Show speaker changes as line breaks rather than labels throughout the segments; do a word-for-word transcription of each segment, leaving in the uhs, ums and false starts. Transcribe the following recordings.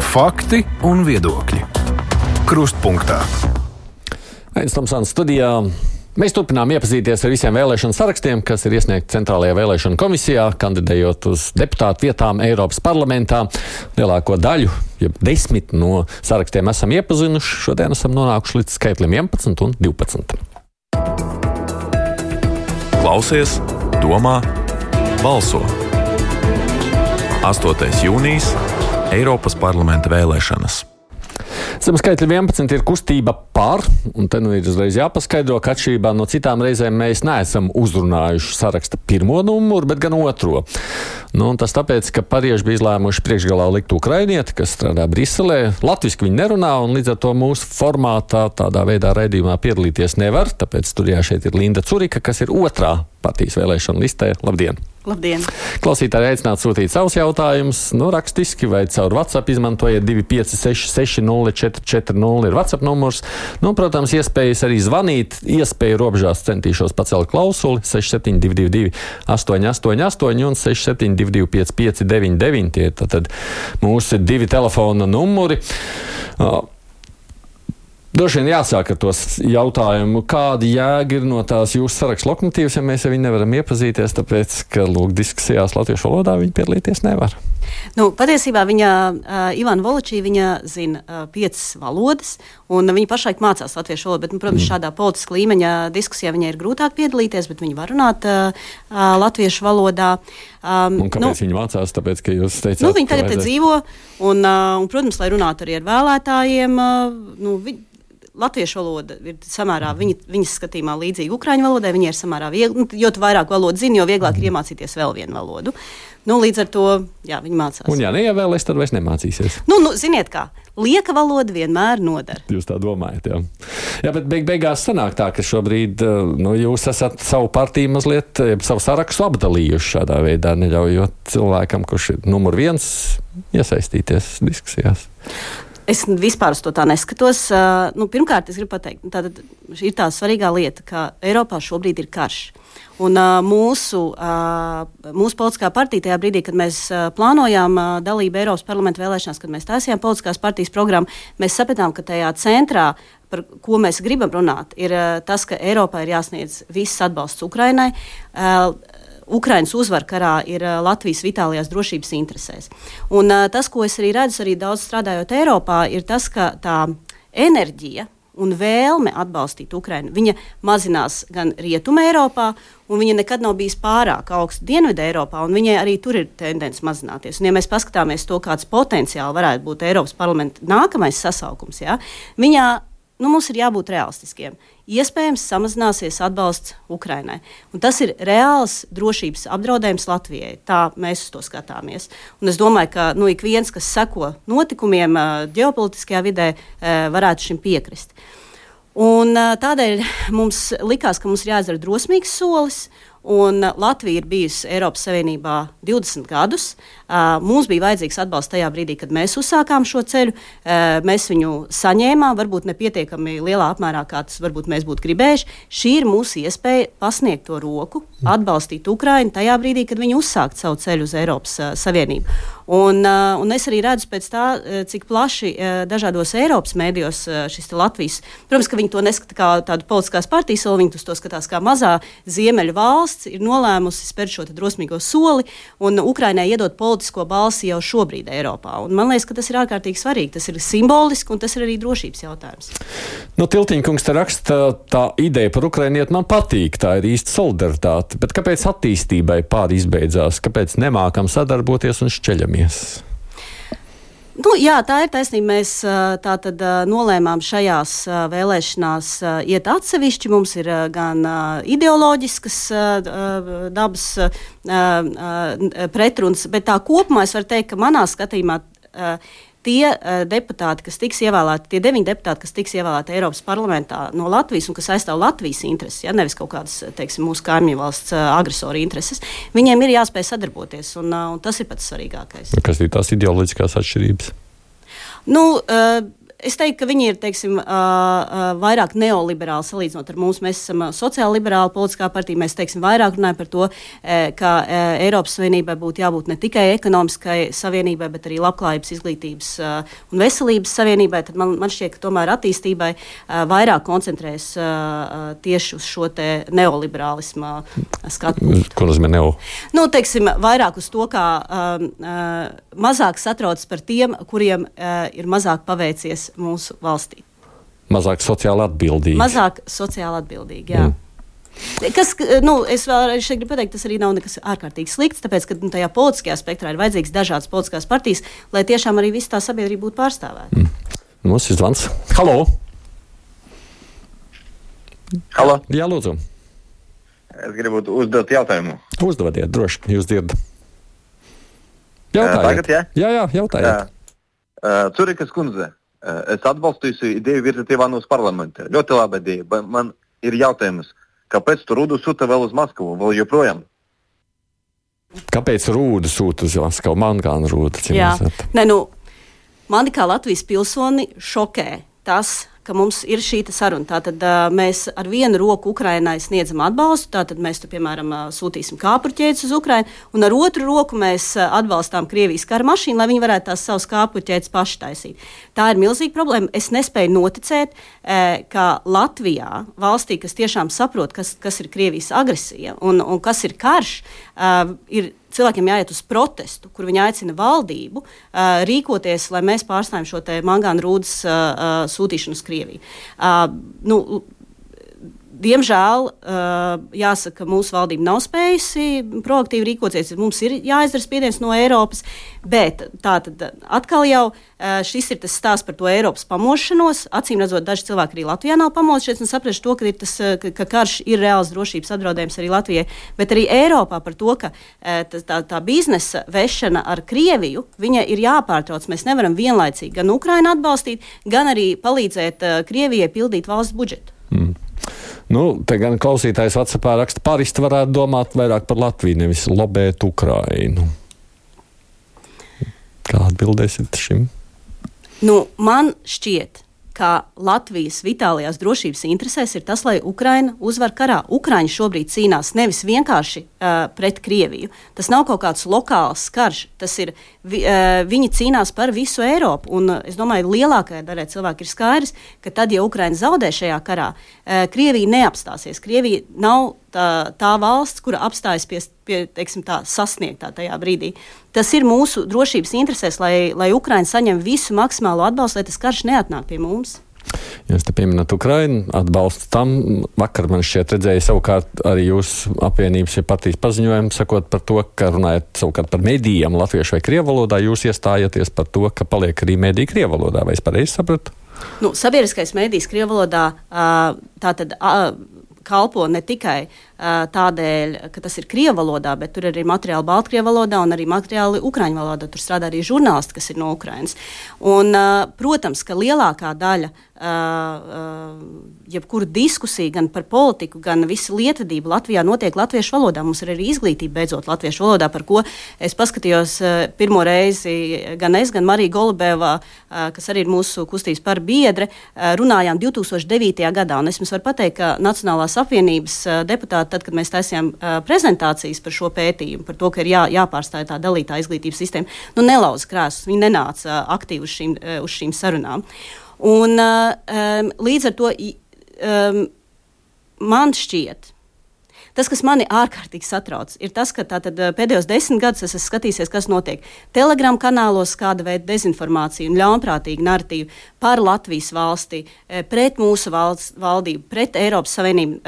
Fakti un viedokļi. Krustpunktā.
Ains Tomsons studijā. Mēs turpinām iepazīties ar visiem vēlēšanu sarakstiem, kas ir iesniegti Centrālajā vēlēšanu komisijā, kandidējot uz deputātu vietām Eiropas parlamentā. Lielāko daļu, ja desmit no sarakstiem esam iepazinuši. Šodien esam nonākuši līdz skaitlim vienpadsmit un divpadsmit.
Klausies, domā, balso. astotais jūnijas Eiropas parlamenta vēlēšanas.
Zem skaitļa vienpadsmit ir kustība par, un te nu ir uzreiz jāpaskaidro, ka atšķirībā no citām reizēm mēs neesam uzrunājuši saraksta pirmo numuru, bet gan otro. Nu, un tas tāpēc, ka parieši bija izlēmuši priekšgalā likt ukrainieti, kas strādā Briselē. Latviski viņi nerunā, un līdz ar to mūsu formātā tādā veidā raidījumā piedalīties nevar, tāpēc studijā šeit ir Linda Curika, kas ir otrā partijas vēlēšana listē. Labdien!
Labdien!
Klausītāji aicināt sūtīt savus jautājumus, nu rakstiski vai caur WhatsApp izmantojiet divi pieci seši seši nulle četri četri nulle ir WhatsApp numurs. Nu, protams, iespējas arī zvanīt, iespēju robežās centīšos pacelt klausuli seši septiņi divi divi divi astoņi astoņi astoņi un seši septiņi divi divi pieci pieci deviņi deviņi. Tie tad mūsu divi telefona numuri. Uh, Droši vien jāsāk ar tos jautājumu, kāda jēga ir no tās jūsu sarakstu lokomotīvas, ja mēs ar viņu nevaram iepazīties, tāpēc, ka, lūk, diskusijās latviešu valodā viņi piedalīties nevar.
Nu, patiesībā viņa, uh, Ivana Voločī, viņa zina uh, piecas valodas, un viņa pašlaik mācās latviešu valodu, bet, nu, protams, mm. šādā politiska līmeņa diskusijā viņai ir grūtāk piedalīties, bet viņa var runāt uh, uh, latviešu valodā. Um,
un kāpēc
nu,
viņa mācās? Tāpēc, ka jūs teicāt,
nu, viņa tagad te dzīvo, un, uh, un, protams, lai runātu arī ar vēlētājiem, uh, nu, vi, latviešu valoda ir samērā, viņa, viņas skatījumā līdzīga ukraiņu valodai, viņa ir samērā viegli, jo tu vairāk valodu zini, jo vieglāk ir iemācīties vēl vienu valodu. Nu, līdz ar to, jā, viņa mācās.
Un ja neievēlēs, tad vairs nemācīsies.
Nu, nu, ziniet kā, lieka valoda vienmēr nodara.
Jūs tā domājat, jā. Jā, bet beig beigās sanāk tā, ka šobrīd, nu, jūs esat savu partiju mazliet, savu sarakstu apdalījuši šādā veidā, neļaujot cilvēkam, kurš ir numur viens, iesaistīties diskusijās.
Es vispār uz to tā neskatos. Uh, nu, pirmkārt, es gribu pateikt, tātad ir tā svarīgā lieta, ka Eiropā šobrīd ir karš. Un uh, mūsu, uh, mūsu politiskā partija tajā brīdī, kad mēs uh, plānojām uh, dalību Eiropas parlamenta vēlēšanās, kad mēs taisījām politiskās partijas programmu, mēs sapratām, ka tajā centrā, par ko mēs gribam runāt, ir uh, tas, ka Eiropā ir jāsniedz viss atbalsts Ukrainai. Uh, Ukrainas uzvara karā ir uh, Latvijas vitālajās drošības interesēs. Un uh, tas, ko es arī redzu, arī daudz strādājot Eiropā, ir tas, ka tā enerģija un vēlme atbalstīt Ukrainu, viņa mazinās gan Rietuma Eiropā, un viņa nekad nav bijis pārāk augsta Dienvidu Eiropā, un viņai arī tur ir tendence mazināties. Un ja mēs paskatāmies to, kāds potenciāli varētu būt Eiropas parlamenta nākamais sasaukums, jā, viņā nu, mums ir jābūt realistiskiem. Iespējams, samazināsies atbalsts Ukrainai. Un tas ir reāls drošības apdraudējums Latvijai. Tā mēs uz to skatāmies. Un es domāju, ka nu, ik viens, kas seko notikumiem ģeopolitiskajā vidē, varētu šim piekrist. Un tādēļ mums likās, ka mums ir jāizdara drosmīgs solis. Un Latvija ir bijusi Eiropas Savienībā divdesmit gadus. Mums bija vajadzīgs atbalsts tajā brīdī, kad mēs uzsākām šo ceļu. Mēs viņu saņēmām, varbūt nepietiekami lielā apmērā, kā tas varbūt mēs būtu gribējuši. Šī ir mūsu iespēja pasniegt to roku, atbalstīt Ukrainu tajā brīdī, kad viņi uzsākt savu ceļu uz Eiropas Savienību. Un, un es arī redzu pēc tā, cik plaši dažādos Eiropas mēdījos šis Latvijas, protams, ka viņi to neskata kā tādu politiskās partijas soli, viņi to skatās kā mazā ziemeļu valsts, ir nolēmusi spērt šo drosmīgo soli un Ukrainai iedot politisko balsi jau šobrīd Eiropā. Un man liekas, ka tas ir ārkārtīgi svarīgi, tas ir simboliski un tas ir arī drošības jautājums.
Nu, Tiltiņkungs te raksta, tā ideja par ukrainieti man patīk, tā ir īsta solidaritāte, bet kāpēc attīstībai pāri izbeidzās, kāpēc nemākam sadarboties un šķeļamies?
Nu, jā, tā ir taisnība. Mēs tā tad nolēmām šajās vēlēšanās iet atsevišķi. Mums ir gan ideoloģiskas dabas pretruns, bet tā kopumā es varu teikt, ka manā skatījumā tie uh, deputāti, kas tiks ievēlēti, tie deviņi deputāti, kas tiks ievēlēti Eiropas parlamentā no Latvijas un kas aizstāv Latvijas intereses, ja, nevis kaut kādas, teiksim, mūsu kaimiņu valsts uh, agresoru intereses, viņiem ir jāspēj sadarboties, un, uh, un tas ir pats svarīgākais.
Kas ir tās ideoloģiskās atšķirības?
Nu, uh, es teiktu, ka viņi ir, teiksim, uh, uh, vairāk neoliberāli salīdzinot ar mums. Mēs esam uh, sociāli-liberāla politiskā partija. Mēs, teiksim, vairāk runājam par to, uh, ka uh, Eiropas Savienībai būtu jābūt ne tikai ekonomiskai savienībai, bet arī labklājības, izglītības uh, un veselības savienībai. Tad man, man šķiet, ka tomēr attīstībai uh, vairāk koncentrēs uh, tieši uz šo te neoliberālisma skatu punktu.
Ko nozīmē neo?
Nu, teiksim, vairāk uz to, kā uh, uh, mazāk satrauc par tiem, kuriem uh, ir mazāk paveicies mūsu valstī.
Mazāk sociāli atbildīgi.
Mazāk sociāli atbildīgi, jā. Mm. Kas, nu, es vēl šeit gribu pateikt, tas arī nav nekas ārkārtīgi slikts, tāpēc, ka nu, tajā politiskajā spektrā ir vajadzīgs dažādas politiskās partijas, lai tiešām arī viss tā sabiedrība būtu pārstāvēta.
Mm. Mums ir zvans. Halo!
Halo!
Jā, lūdzu.
Es gribu uzdot jautājumu.
Uzdodiet, droši, jūs dzirdat. Jautājiet.
Tagad, jā?
Jā, jā, jautājiet.
Uh, Curikas kundze, uh, es atbalstīju ideju virzīt Ivānus parlamentā. Ļoti laba ideja, bet man ir jautājums, kāpēc tu Rūdu sūta vēl uz Maskavu, vēl joprojām?
Kāpēc Rūdu sūta uz Maskavu? Man kā Rūda.
Jā, ne, nu, mani kā Latvijas pilsoni šokē tas, ka mums ir šī saruna. Tātad uh, mēs ar vienu roku Ukrainai sniedzam atbalstu, tātad mēs tur, piemēram, uh, sūtīsim kāpurķēdes uz Ukrainu, un ar otru roku mēs uh, atbalstām Krievijas kara mašīnu, lai viņi varētu tās savus kāpurķēdes paši taisīt. Tā ir milzīga problēma. Es nespēju noticēt, uh, ka Latvijā, valstī, kas tiešām saprot, kas, kas ir Krievijas agresija un, un kas ir karš, uh, ir cilvēkiem jāiet uz protestu, kur viņi aicina valdību uh, rīkoties, lai mēs pārstāvjam šo te mangānu rūdas uh, uh, sūtīšanu uz Krieviju. Uh, nu, Diemžēl, uh, jāsaka, mūsu valdība nav spējusi proaktīvi rīkoties. Mums ir jāizdara spiediens no Eiropas, bet tātad atkal jau uh, šis ir tas stāsts par to Eiropas pamošanos. Acīm redzot, daži cilvēki arī Latvijā nav pamodušies un sapraši to, ka, ir tas, ka, ka karš ir reāls drošības apdraudējums arī Latvijai, bet arī Eiropā par to, ka uh, tā, tā biznesa vešana ar Krieviju, viņa ir jāpārtrauc. Mēs nevaram vienlaicīgi gan Ukrainu atbalstīt, gan arī palīdzēt uh, Krievijai pildīt valsts budžetu.
Mm. Nu, te gan klausītājs WhatsAppā raksta, paristi varētu domāt vairāk par Latviju, nevis lobēt Ukrainu. Kā atbildēsiet šim?
Nu, man šķiet, ka Latvijas vitālajās drošības interesēs ir tas, lai Ukraina uzvar karā. Ukraiņi šobrīd cīnās nevis vienkārši uh, pret Krieviju. Tas nav kaut kāds lokāls karš. Tas ir, vi, uh, viņi cīnās par visu Eiropu. Un uh, es domāju, lielākajai daļai cilvēku ir skaidrs, ka tad, ja Ukraina zaudē šajā karā, uh, Krievija neapstāsies. Krievija nav tā, tā valsts, kura apstājas pie, pie teiksim, tā, sasniegtā tajā brīdī. Tas ir mūsu drošības interesēs, lai, lai Ukraina saņem visu maksimālo atbalstu, lai tas karš neatnāk pie mums.
Jūs te pieminat Ukrainu, atbalstu tam. Vakar man šķiet redzēja savukārt arī jūsu apvienības ja partijas paziņojumu, sakot par to, ka runājat savukārt par medijiem latviešu vai krievu valodā, jūs iestājaties par to, ka paliek arī mediji krievu valodā. Vai es pareizi sapratu?
Nu, sabiedriskais medijs krievu valodā tātad kalpo ne tikai uh, tādēļ, ka tas ir krievu valodā, bet tur ir arī materiāli baltkrievu valodā un arī materiāli ukraiņu valodā. Tur strādā arī žurnālisti, kas ir no Ukrainas. Un, uh, protams, ka lielākā daļa uh, uh, jebkura diskusija gan par politiku, gan visu lietvedību Latvijā notiek latviešu valodā. Mums ir arī izglītība beidzot latviešu valodā, par ko es paskatījos uh, pirmo reizi gan es, gan Marija Golubeva, uh, kas arī ir mūsu kustības par biedre, uh, runājām divi tūkstoši devītajā gadā. Un es jums varu pateikt, ka Nacionālās apvienības uh, deputāti, tad, kad mēs taisījām uh, prezentācijas par šo pētījumu, par to, ka ir jā, jāpārstāj tā dalītā izglītības sistēma, nu nelauza krēslus, viņi nenāca uh, aktīvi uz šīm, uh, uz šīm sarunām. Un uh, um, līdz ar to um, man šķiet, tas, kas mani ārkārtīgi satrauc, ir tas, ka tātad pēdējos desmit gadus es esmu skatījies, kas notiek Telegram kanālos, kāda veida dezinformācija un ļaunprātīga narratīva par Latvijas valsti, pret mūsu valsts, valdību, pret Eiropas Savienību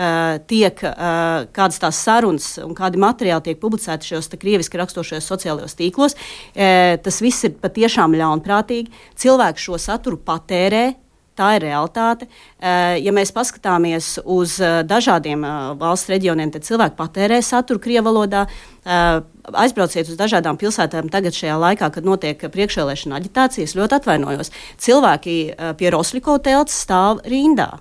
tiek kādas tās sarunas un kādi materiāli tiek publicēti šajos krieviski rakstošajos sociālajos tīklos. Tas viss ir patiešām ļaunprātīgi. Cilvēki šo saturu patērē. Tā ir realitāte. Ja mēs paskatāmies uz dažādiem valsts reģioniem, tad cilvēki patērē saturu krievu valodā. Aizbrauciet uz dažādām pilsētām tagad šajā laikā, kad notiek priekšvēlēšana aģitācijas, ļoti atvainojos. Cilvēki pie Rosļikova telts stāv rindā.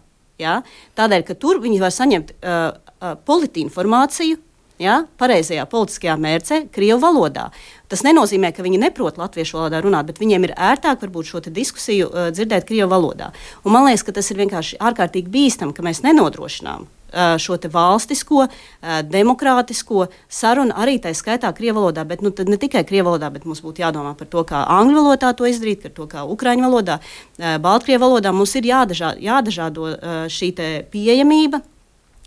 Ja? Tādēļ, ka tur viņi var saņemt uh, uh, politinformāciju, ja, pareizajā politiskajā mērcē, krievu valodā. Tas nenozīmē, ka viņi neprot latviešu valodā runāt, bet viņiem ir ērtāk varbūt šo diskusiju uh, dzirdēt krievu valodā. Un man liekas, ka tas ir vienkārši ārkārtīgi bīstam, ka mēs nenodrošinām uh, šo te valstisko, uh, demokrātisko sarunu arī tā skaitā krievu valodā, bet nu, ne tikai krievu valodā, bet mums būtu jādomā par to, kā angļu valodā to izdarīt, par to, kā ukraiņu valodā, uh, baltkrievu valodā. Mums ir jādažā, jādažādo uh, šī te pieejamība.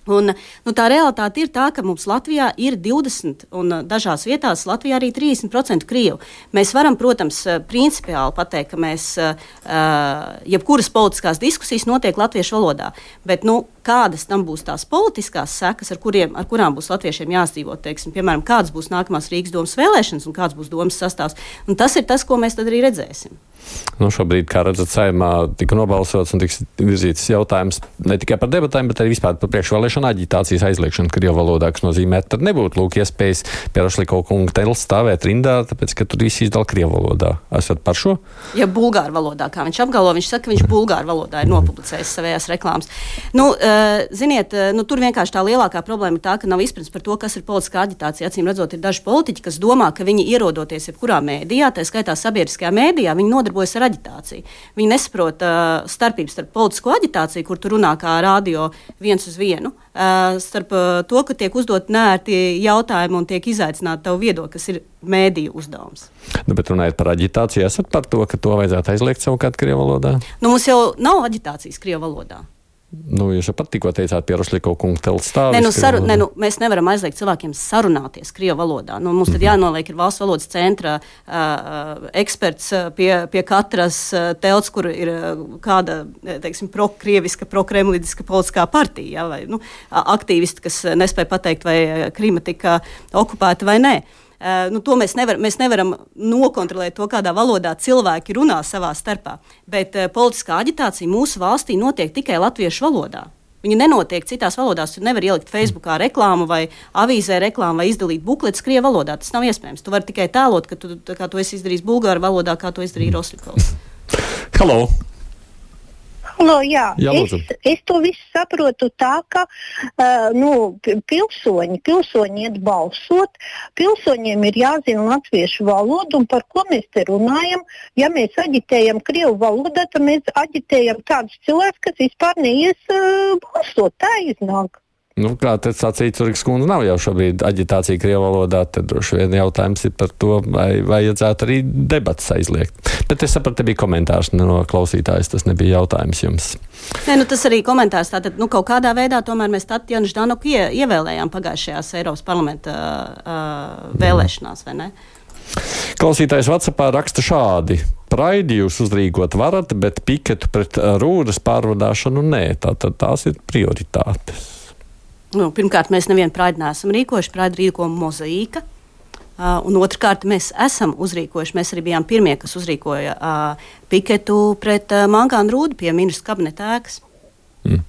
Un, nu, tā realitāte ir tā, ka mums Latvijā ir divdesmit un dažās vietās Latvijā arī trīsdesmit procenti krievu. Mēs varam, protams, principiāli pateikt, ka mēs, jebkuras politiskās diskusijas notiek latviešu valodā, bet nu, kādas tam būs tās politiskās sekas, ar, kuriem, ar kurām būs latviešiem jāsdzīvot, teiksim, piemēram, kādas būs nākamās Rīgas domas vēlēšanas un kāds būs domas sastāvs. Un tas ir tas, ko mēs tad arī redzēsim.
Nu, šobrīd, kā redzat, Saeimā tika nobalsots un tiks virzīts jautājums ne tikai par debatēm, bet arī vispār par priekšvēlēšanu aģitācijas aizliekšanu krievu valodā, kas nozīmē, ka tad nebūtu lūk iespējas Pierašliko kunga tels stāvēt rindā, tāpēc, ka tur visi izdala krievu valodā. Esat par šo?
Ja bulgāru valodā, kā viņš apgalvo, viņš saka, ka viņš bulgāru valodā ir nopublicējis savējās reklāmas. Nu, uh, ziniet, uh, nu, tur vienkārši tā lielākā problēma ir tā, ka nav izpratnes par to, kas ir politiskā aģitācija. Acīm redzot, ir daži politiķi, kas domā, ka viņi ierodoties jebkurā mēdījā, tā skaitā sabiedriskajā mēdījā, viņi nodarbojas ar aģitāciju. Viņi nesaprot uh, starpības starp politisko aģitāciju, kur tu runā kā radio viens uz vienu, uh, starp uh, to, ka tiek uzdot neērti jautājumi un tiek izaicināti tavu viedokli, kas ir mēdīju uzdevums.
Nu, bet runājot par aģitāciju, esat par to, ka to vajadzētu aizliegt savukārt krievu valodā?
Nu, mums jau nav aģitācijas krievu valodā.
Nu, jūs jau pat tikko teicāt, Pierašliko kunga tels stāvis.
Ne, nu, saru, ne, nu, mēs nevaram aizliegt cilvēkiem sarunāties krievu valodā. Nu, mums tad mm-hmm. jānoliek ir valsts valodas centra uh, eksperts pie, pie katras uh, telts, kur ir uh, kāda, teiksim, pro-krieviska, pro-kremlidiska politiskā partija, ja, vai nu, aktīvisti, kas nespēja pateikt, vai Krima tika okupēta vai nē. Uh, nu, to mēs, nevar, mēs nevaram nokontrolēt to, kādā valodā cilvēki runā savā starpā. Bet uh, politiskā aģitācija mūsu valstī notiek tikai latviešu valodā. Viņa nenotiek citās valodās. Tu nevari ielikt Facebookā reklāmu vai avīzē reklāmu vai izdalīt bukletus krievu valodā. Tas nav iespējams. Tu vari tikai tēlot, ka tu, kā tu esi izdarījis bulgāru valodā, kā to izdarīja Rosļikovs.
Halo!
Halo, jā,
jā
es, es to visu saprotu tā, ka uh, nu, pilsoņi, pilsoņi iet balsot, pilsoņiem ir jāzina latviešu valodu, un par ko mēs te runājam. Ja mēs aģitējam krievu valodā, tad mēs aģitējam tādus cilvēkus, kas vispār neies uh, balsot. Tā iznāk.
Nu, kā te sacīja Curiks kundze, nav jau šobrīd aģitācija krievu valodā, tad droši vien jautājums ir par to, vai vajadzētu arī debatas aizliegt. Bet es sapratu, te bija komentārs no klausītājas, tas nebija jautājums jums.
Nē, nu tas arī komentārs. Tātad, nu, kaut kādā veidā tomēr mēs Tatjanu Ždanoku ie, ievēlējām pagājušajās Eiropas parlamenta uh, vēlēšanās, vai ne?
Klausītājs WhatsAppā raksta šādi. Praidi jūs uzrīkot varat, bet piketu pret rūdas pārvadāšanu nē. Tātad tās ir prioritātes.
Nu, pirmkārt, mēs nevienu praidi neesam rīkojuši, praidi rīko Mozaīka, uh, un otrkārt, mēs esam uzrīkojuši, mēs arī bijām pirmie, kas uzrīkoja uh, piketu pret uh, mangānu rūdu pie ministra kabineta ēkas.
Mm.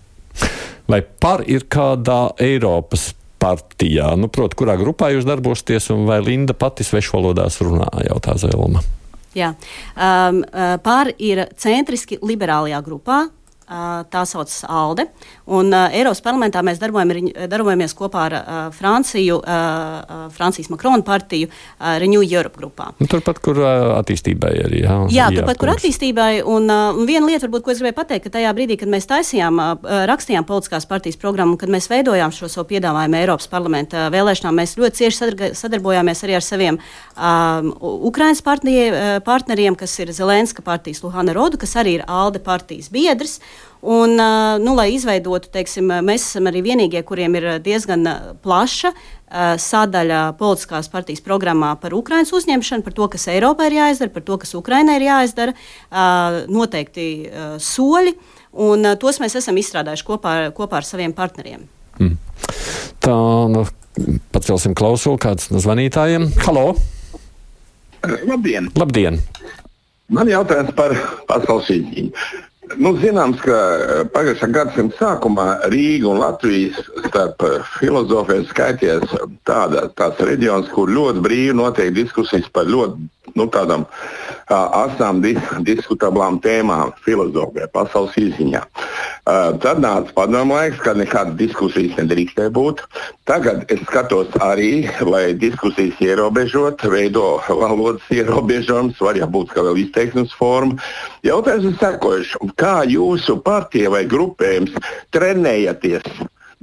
Vai par ir kādā Eiropas partijā, nu, proti, kurā grupā jūs darbosieties, un vai Linda pati svešu valodās runā, jautā Zelma? Jā,
um, uh, par ir centriski liberālajā grupā. Tā saucas ALDE. Un uh, Eiropas parlamentā mēs darbojamies kopā ar uh, Franciju, uh, Francijas Makrona partiju, uh, Renew Europe grupā.
Un turpat, kur uh, attīstībai arī. Jā,
jā turpat, kur attīstībai. Un, uh, un viena lieta, varbūt, ko es gribēju pateikt, ka tajā brīdī, kad mēs taisījām, uh, rakstījām politiskās partijas programmu, kad mēs veidojām šo savu piedāvājumu Eiropas parlamenta vēlēšanām, mēs ļoti cieši sadarbojāmies arī ar saviem um, Ukrainas partneriem, kas ir Zelenska partijas Luhana Rodu, kas arī ir ALDE partijas biedrs. Un, nu, lai izveidotu, teiksim, mēs esam arī vienīgie, kuriem ir diezgan plaša sadaļa politiskās partijas programmā par Ukrainas uzņemšanu, par to, kas Eiropā ir jāizdara, par to, kas Ukrainai ir jāizdara, noteikti soļi, un tos mēs esam izstrādājuši kopā, kopā ar saviem partneriem.
Mm. Tā, nu, pacelsim klausuli kāds no zvanītājiem. Halo!
Labdien!
Labdien!
Man jautājums par pasaules izņiņu. Nu, zināms, ka pagājušā gadsimta sākumā Rīga un Latvijas starp filozofiem skaities tāda, tāds reģions, kur ļoti brīvi notiek diskusijas par ļoti nu, tādām asām dis diskutablām tēmām filozofijā, pasaules izziņā. Uh, tad nāca padomu laiks, kad nekādas diskusijas nedrīkstēja būt. Tagad es skatos arī, lai diskusijas ierobežot, veido valodas ierobežojums, var jābūt kā vēl izteiksmes forma. Jautājums ir sekojuši, kā jūsu partija vai grupējums trenējaties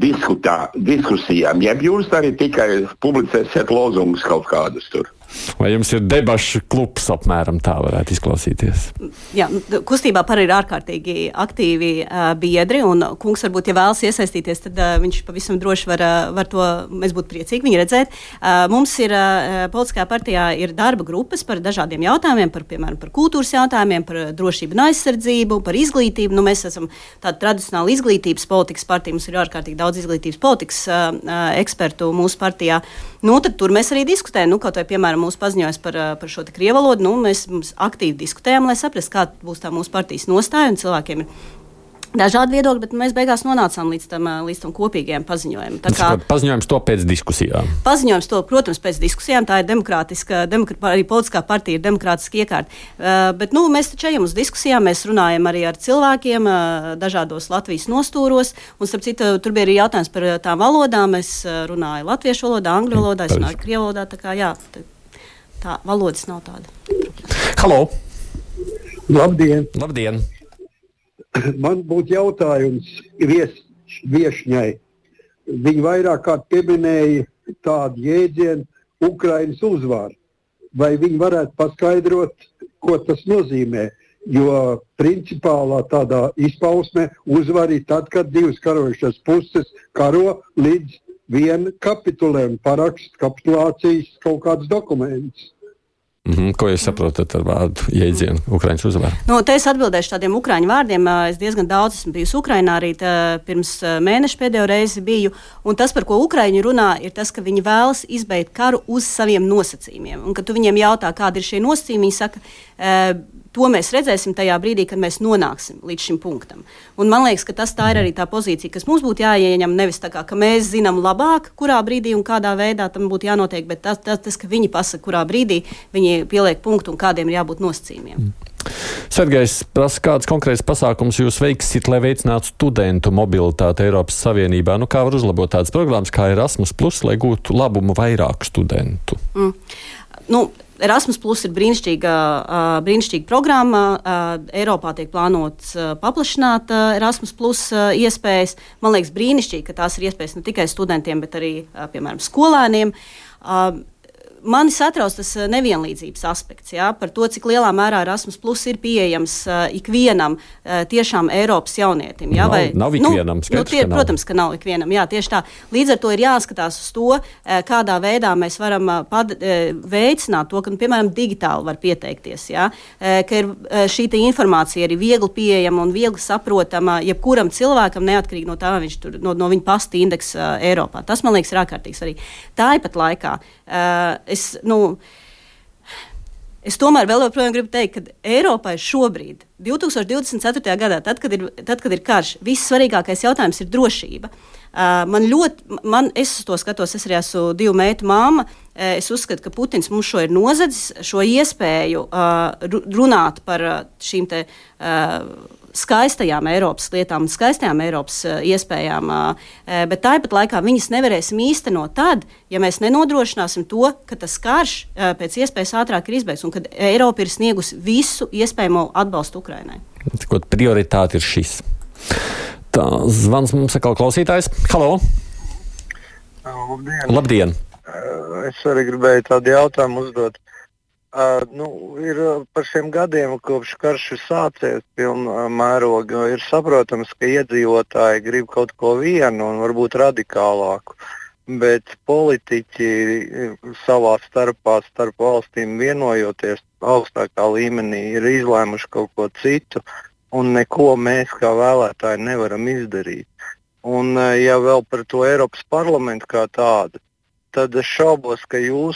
diskutā, diskusijām, jeb jūs arī tikai publicēsiet lozungus kaut kādus tur?
Vai jums ir debašu klubs apmēram tā varētu izklausīties?
Jā, kustībā par ir ārkārtīgi aktīvi uh, biedri, un kungs varbūt, ja vēlas iesaistīties, tad uh, viņš pavisam droši var, uh, var to, mēs būtu priecīgi viņu redzēt. Uh, mums ir, uh, politiskā partijā ir darba grupas par dažādiem jautājumiem, par, piemēram, par kultūras jautājumiem, par drošību un aizsardzību, par izglītību. Nu, mēs esam tāda tradicionāla izglītības politikas partija, mums ir ārkārtīgi daudz izglītības politikas uh, uh, ekspertu mūsu partijā. Nu, tad tur mēs arī diskutējam, nu, kaut vai, piemēram, mūsu paziņojums par, par šo te krievu valodu, nu, mēs aktīvi diskutējam, lai saprastu, kā būs tā mūsu partijas nostāja, un cilvēkiem ir dažādi viedokļi, bet mēs beigās nonācām līdz tam, līdz tam kopīgajam paziņojumam. Tā kā
paziņojums to pēc diskusijām?
Paziņojums to, protams, pēc diskusijām, tā ir demokrātiska, demokrā, arī politiskā partija ir demokrātiski iekārta. Uh, bet, nu, mēs taču ejam uz diskusijām, mēs runājam arī ar cilvēkiem uh, dažādos Latvijas nostūros, un, starp citu, tur bija arī jautājums par tām valodām. Es uh, runāju latviešu valodā, angļu valodā, es runāju krievu valodā, tā kā, jā, tā, tā valodas nav tāda.
Halo!
Labdien!
Labdien!
Man būtu jautājums vies, viešņai. Viņi vairāk kārt pieminēja tādu jēdzienu Ukrainas uzvaru. Vai viņi varētu paskaidrot, ko tas nozīmē? Jo principālā tādā izpausmē uzvar ir tad, kad divas karojušas puses karo līdz viena kapitulē un parakst kapitulācijas kaut kādus dokumentus.
Mm-hmm. Ko jūs saprotat ar vārdu jēdzienu Ukrainas uzvaru?
Nu, te es atbildēšu tādiem ukraiņu vārdiem. Es diezgan daudz esmu bijusi Ukrainā, arī tā, pirms mēneša pēdējo reizi biju. Un tas, par ko ukraiņi runā, ir tas, ka viņi vēlas izbeigt karu uz saviem nosacījumiem. Un, kad tu viņiem jautā, kādi ir šie nosacījumi, viņi saka, e, to mēs redzēsim tajā brīdī, kad mēs nonāksim līdz šim punktam. Un man liekas, ka tas tā ir arī tā pozīcija, kas mums būtu jāieņem, nevis tā kā, ka mēs zinām labāk, kurā brīdī un kādā veidā tam būtu jānotiek, bet tas, tas, tas ka viņi pasaka, kurā brīdī viņi pieliek punktu un kādiem ir jābūt nosacījumiem.
Sergejs prasa, kāds konkrēts pasākums jūs veiksiet, lai veicinātu studentu mobilitāti Eiropas Savienībā? Nu, kā var uzlabot tādas programmas kā Erasmus plus, lai gūtu labumu vairāk studentu?
Mm. Nu, Erasmus plus ir brīnišķīga, uh, brīnišķīga programma. Uh, Eiropā tiek plānots uh, paplašināt uh, Erasmus plus uh, iespējas. Man liekas brīnišķīgi, ka tās ir iespējas ne tikai studentiem, bet arī, uh, piemēram, skolēniem. Uh, Mani satrauc tas nevienlīdzības aspekts, jā, par to, cik lielā mērā Erasmus plus ir pieejams uh, ikvienam uh, tiešām Eiropas jaunietim. Jā,
nav,
vai,
nav ikvienam,
nu,
skaidrs,
nu, tie,
ka nav.
Protams, ka nav ikvienam, jā, tieši tā. Līdz ar to ir jāskatās uz to, uh, kādā veidā mēs varam uh, pad, uh, veicināt to, ka, nu, piemēram, digitāli var pieteikties, jā, uh, ka ir uh, šī informācija arī viegli pieejama un viegli saprotama jebkuram cilvēkam, neatkarīgi no tā, viņš tur, no, no viņa pasta indeksa uh, Eiropā. Tas, man liekas, ir ārkārtīgi svarīgi. Tāpat laikā uh, Es, nu, es tomēr vēl joprojām gribu teikt, ka Eiropai šobrīd, divtūkstoš divdesmit ceturtajā gadā, tad, kad ir, tad, kad ir karš, vissvarīgākais jautājums ir drošība. Uh, man ļoti, man, es uz to skatos, es arī esmu divu meitu māma. Uh, es uzskatu, ka Putins mums šo ir nozadzis, šo iespēju uh, runāt par šīm te uh, skaistajām Eiropas lietām, skaistajām Eiropas uh, iespējām, uh, bet tāpat laikā viņas nevarēsim īstenot tad, ja mēs nenodrošināsim to, ka tas karš uh, pēc iespējas ātrāk ir izbeigts un kad Eiropa ir sniegusi visu iespējamo atbalstu Ukrainai.
Tikot prioritāte ir šis. Tā, zvans mums atkal klausītājs. Halo!
Labdien!
Labdien!
Es arī gribēju tādu jautājumu uzdot. Uh, nu, ir par šiem gadiem, kopš karš ir sācies pilnā mērogā, ir saprotams, ka iedzīvotāji grib kaut ko vienu un varbūt radikālāku, bet politiķi savā starpā, starp valstīm vienojoties augstākā līmenī, ir izlēmuši kaut ko citu un neko mēs kā vēlētāji nevaram izdarīt. Un ja vēl par to Eiropas parlamentu kā tādu, tad es šaubos, ka jūs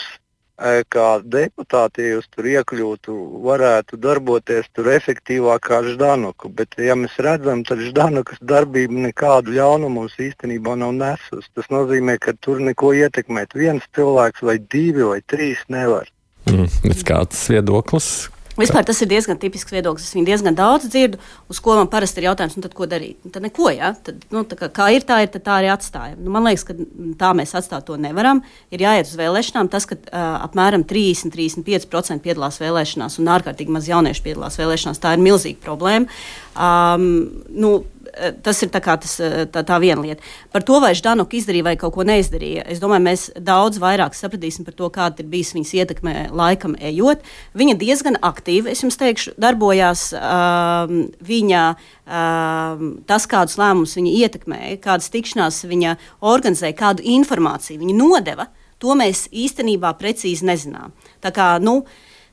kā deputāti, ja jūs tur iekļūtu, varētu darboties tur efektīvāk kā Ždanuka. Bet, ja mēs redzam, tad Ždanukas darbība nekādu ļaunumu mums īstenībā nav nesus. Tas nozīmē, ka tur neko ietekmēt viens cilvēks vai divi vai trīs nevar.
Mm, kāds viedoklis?
Vispār tas ir diezgan tipisks viedoklis. Es viņu diezgan daudz dzirdu, uz ko man parasti ir jautājums, nu tad ko darīt? Nu, tad neko, ja? Tad, nu, tā kā, kā ir, tā ir, tad tā arī atstājam. Nu, man liekas, ka tā mēs atstāt to nevaram. Ir jāiet uz vēlēšanām. Tas, ka uh, apmēram trīsdesmit līdz trīsdesmit pieci procenti piedalās vēlēšanās un ārkārtīgi maz jauniešu piedalās vēlēšanās, tā ir milzīga problēma. Um, nu, Tas ir tā, kā tas, tā, tā viena lieta. Par to, vai Ždanoka izdarīja vai kaut ko neizdarīja, es domāju, mēs daudz vairāk sapratīsim par to, kāda ir bijis viņas ietekme laikam ejot. Viņa diezgan aktīvi, es jums teikšu, darbojās. Um, viņa, um, tas, kādus lēmumus viņa ietekmēja, kādas tikšanās viņa organizēja, kādu informāciju viņa nodeva, to mēs īstenībā precīzi nezinām. Tā kā, nu,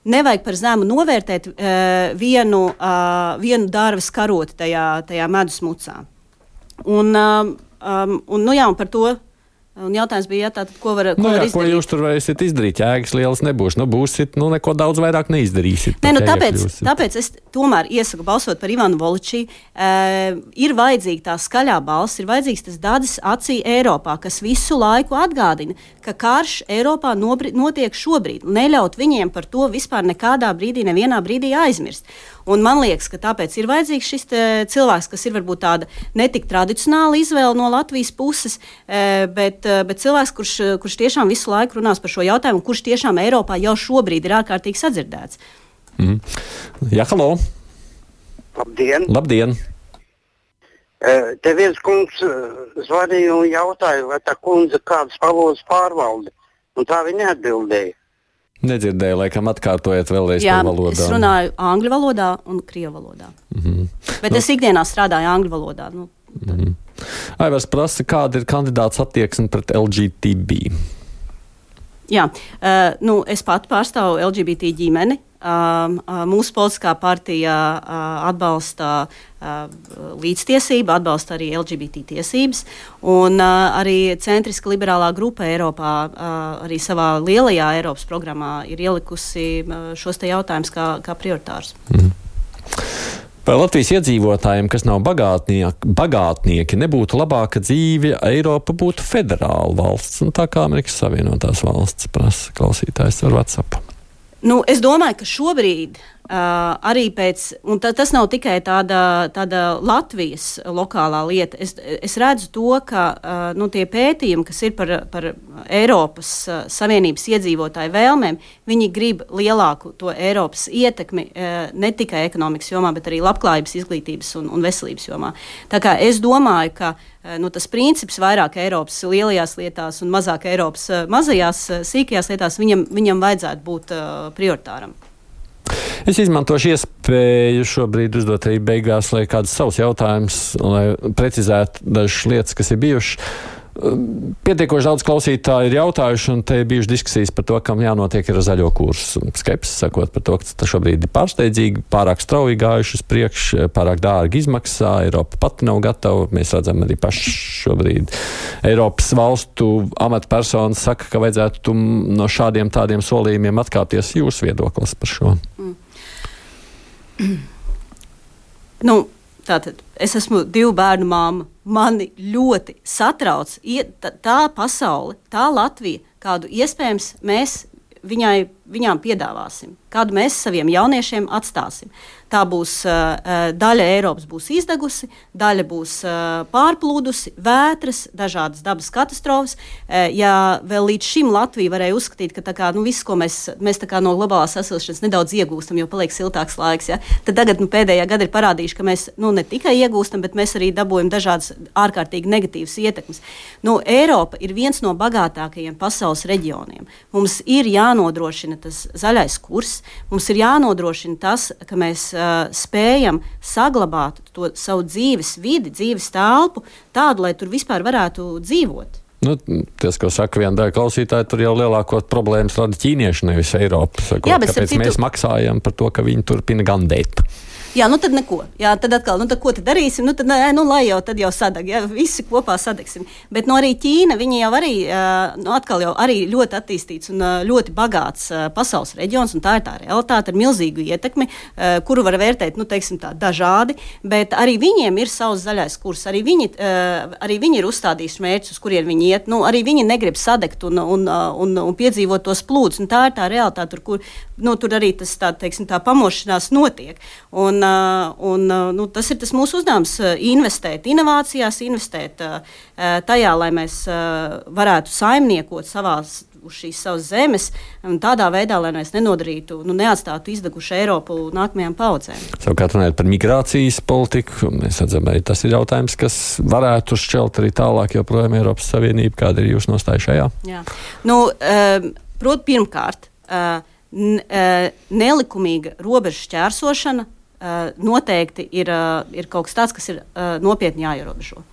nevajag par zemu novērtēt uh, vienu, uh, vienu dārves karoti tajā, tajā medus mucā. Un, um, um, un, nu jā, un par to un jautājums bija, jā, tātad, ko var, ko
nu, jā,
var izdarīt?
Ko jūs tur varēsiet izdarīt? Jēgas lielas nebūs. Nu, būsit, nu, neko daudz vairāk neizdarīsiet.
Nē, nu, tāpēc, tāpēc es tomēr iesaku balsot par Ivanu Voličī. Uh, ir vajadzīga tā skaļā balss, ir vajadzīgs tas dadzis acī Eiropā, kas visu laiku atgādina, ka karš Eiropā nobri, notiek šobrīd. Neļaut viņiem par to vispār nekādā brīdī, nevienā brīdī aizmirst. Un man liekas, ka tāpēc ir vajadzīgs šis cilvēks, kas ir varbūt tāda netik tradicionāla izvēle no Latvijas puses, bet, bet cilvēks, kurš, kurš tiešām visu laiku runās par šo jautājumu, kurš tiešām Eiropā jau šobrīd ir ārkārtīgi sadzirdēts.
Mm. Jā, halo!
Labdien!
Labdien!
Te viens kungs zvanīja un jautāja, vai tā kundze kādas valodas pārvalda, un tā viņa atbildēja.
Nedzirdēju, laikam atkārtojiet vēlreiz
Jā,
par valodām.
Es runāju angļu valodā un krievu valodā. Mm-hmm. Bet nu, es ikdienā strādāju angļu valodā. Nu,
mm-hmm. Aivars prasa, kāda ir kandidāts attieksme pret L G B T?
Jā, uh, nu, es pati pārstāvu L G B T ģimeni. Uh, uh, mūsu politiskā partija uh, atbalsta uh, līdztiesību, atbalsta arī L G B T tiesības, un uh, arī centriska liberālā grupa Eiropā, uh, arī savā lielajā Eiropas programmā ir ielikusi uh, šos te jautājumus kā, kā prioritārus.
Mm. Vai Latvijas iedzīvotājiem, kas nav bagātnieki, bagātnieki, nebūtu labāka dzīve, Eiropa būtu federāla valsts, un tā kā Amerikas Savienotās valsts, prasa klausītājs ar WhatsApp?
Nu, es domāju, ka šobrīd uh, arī pēc, un ta, tas nav tikai tāda, tāda Latvijas lokālā lieta, es, es redzu to, ka uh, nu, tie pētījumi, kas ir par, par Eiropas uh, Savienības iedzīvotāju vēlmēm, viņi grib lielāku to Eiropas ietekmi uh, ne tikai ekonomikas jomā, bet arī labklājības, izglītības un, un veselības jomā. Tā kā es domāju, ka nu, tas princips vairāk Eiropas lielajās lietās un mazāk Eiropas mazajās sīkajās lietās viņam, viņam vajadzētu būt uh, prioritāram.
Es izmantošu iespēju šobrīd uzdot arī beigās, lai kāds savs jautājums, lai precizētu dažas lietas, kas ir bijušas. Pietiekoši daudz klausītāju ir jautājuši, un te ir bijušas diskusijas par to, kam jānotiek ar zaļo kursu. Skepsis sakot par to, ka tas šobrīd ir pārsteidzīgi, pārāk strauji gājuši uz priekšu, pārāk dārgi izmaksā, Eiropa pati nav gatava. Mēs redzam arī paši šobrīd Eiropas valstu amatpersonas saka, ka vajadzētu no šādiem tādiem solījumiem atkāpties. Jūsu viedoklis par šo? Mm.
Nu, tātad es esmu divu bērnu māma. Mani ļoti satrauc tā, tā pasaule, tā Latvija, kādu iespējams mēs viņai, viņām piedāvāsim, kādu mēs saviem jauniešiem atstāsim. Tā būs uh, daļa Eiropas būs izdegusi, daļa būs uh, pārplūdusi, vētras, dažādas dabas katastrofas. Uh, ja vēl līdz šim Latvija varēja uzskatīt, ka tā kā, nu, viss, ko mēs, mēs tā kā no globālās sasilšanas nedaudz iegūstam, jo paliek siltāks laiks, ja? Tad tagad nu, pēdējā gada ir parādījuši, ka mēs nu, ne tikai iegūstam, bet mēs arī dabūjam dažādas ārkārtīgi negatīvas ietekmes. Nu, Eiropa ir viens no bagātākajiem pasaules reģioniem. Mums ir jānodrošina tas zaļais kurs, mums ir jānodrošina tas, ka mēs uh, spējam saglabāt to savu dzīves vidi, dzīves telpu tādu, lai tur vispār varētu dzīvot.
Nu, tas, ko saka viena daļa klausītāji, tur jau lielākot problēmas rada ķīnieši, nevis Eiropa. Sakot, Jā, kāpēc citu... mēs maksājam par to, ka viņi turpina gandēt?
Jā, nu tad neko. Jā, tad atkal, nu tad ko tad darīsim? Nu tad, nu, lai jau tad jau sadag, jā, visi kopā sadegsim. Bet no arī Ķīna, viņi jau arī, nu atkal jau arī ļoti attīstīts un ļoti bagāts pasaules reģions, un tā ir tā realitāte ar milzīgu ietekmi, kuru var vērtēt, nu teiksim tā, dažādi, bet arī viņiem ir savs zaļais kurs, arī viņi, arī viņi ir uzstādījuši mērķus, uz kuriem viņi iet, nu, arī viņi negrib sadegt un, un, un, un piedzīvot tos plūdus. Un tā ir tā realitāte, tur, kur nu, tur arī tas, tā, teiksim, tā pamošanās notiek. Un, un, nu, tas ir tas mūsu uzdevums - investēt inovācijās, investēt tajā, lai mēs varētu saimniekot savās uz šīs savas zemes, un tādā veidā, lai mēs nenodarītu, nu, neatstātu izdegušu Eiropu nākamajām paudzēm.
Savukārt runājot par migrācijas politiku, mēs redzam, arī tas ir jautājums, kas varētu šķelt arī tālāk joprojām Eiropas Savienību. Kāda ir jūsu nostāja šajā?
Jā. Nu, proti, pirmkārt, nelikumīga robežu šķērsošana noteikti ir, ir kaut kas tāds, kas ir nopietni jāierobežo.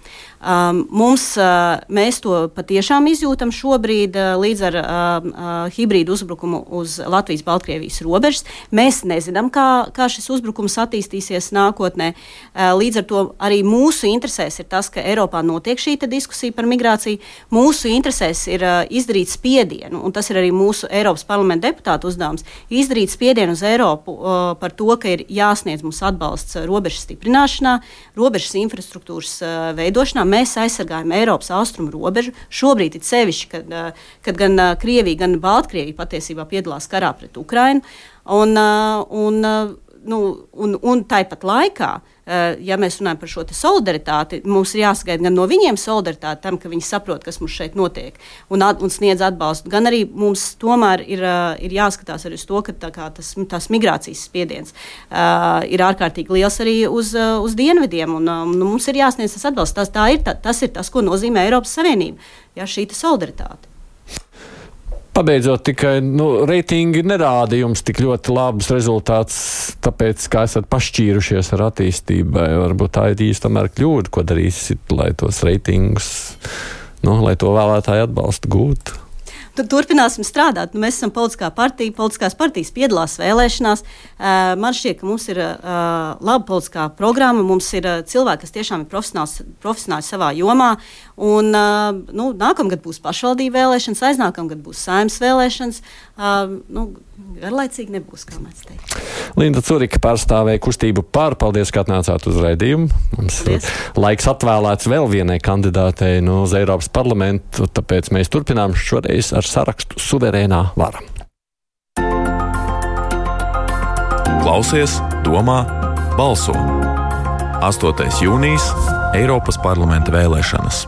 Um, mums, uh, mēs to patiešām izjūtam šobrīd uh, līdz ar uh, uh, hibrīdu uzbrukumu uz Latvijas-Baltkrievijas robežas. Mēs nezinām, kā, kā šis uzbrukums attīstīsies nākotnē. Uh, līdz ar to arī mūsu interesēs ir tas, ka Eiropā notiek šī diskusija par migrāciju. Mūsu interesēs ir uh, izdarīt spiedienu, un tas ir arī mūsu Eiropas parlamenta deputātu uzdevums, izdarīt spiedienu uz Eiropu uh, par to, ka ir jāsniedz mums atbalsts uh, robežas stiprināšanā, robežas infrastruktūras uh, veidošanā. Mēs aizsargājam Eiropas austrumu robežu. Šobrīd ir sevišķi, kad, kad gan Krievija, gan Baltkrievija patiesībā piedalās karā pret Ukrainu. Un, un, nu, un, un tāpat laikā, ja mēs runājam par šo solidaritāti, mums ir jāsagaida gan no viņiem solidaritāti tam, ka viņi saprot, kas mums šeit notiek un, at, un sniedz atbalstu. Gan arī mums tomēr ir, ir jāskatās arī uz to, ka tā kā tas, tās migrācijas spiediens uh, ir ārkārtīgi liels arī uz, uz dienvidiem. Un, um, mums ir jāsniedz tas atbalsts. Tas, tā ir, tā, tas ir tas, ko nozīmē Eiropas Savienība. Ja, šī solidaritāte.
Pabeidzot, tikai nu, reitingi nerāda jums tik ļoti labus rezultātus, tāpēc, kā esat pašķīrušies ar attīstībai. Varbūt tā ir īsti tomēr kļūda, ko darīsit, lai tos reitingus, nu, lai to vēlētāju atbalstu gūtu.
Turpināsim strādāt. Nu, mēs esam politiskā partija, politiskās partijas piedalās vēlēšanās. Uh, man šķiet, ka mums ir uh, laba politiskā programma, mums ir uh, cilvēki, kas tiešām ir profesionāli, profesionāli savā jomā. Un, uh, nu, nākamgad būs pašvaldību vēlēšanas, aiznākamgad būs saimnes vēlēšanas. Uh, nu, garlaicīgi nebūs, kā mēs teikt.
Linda Curika pārstāvēja kustību Par. Paldies, ka atnācāt uz raidījumu. Mums Paldies. Laiks atvēlēts vēl vienai kandidātei no uz Eiropas parlamentu, tāpēc mēs turpinām šoreiz ar sarakstu Suverēnā vara.
Klausies, domā, balso. astotais jūnijas Eiropas parlamenta vēlēšanas.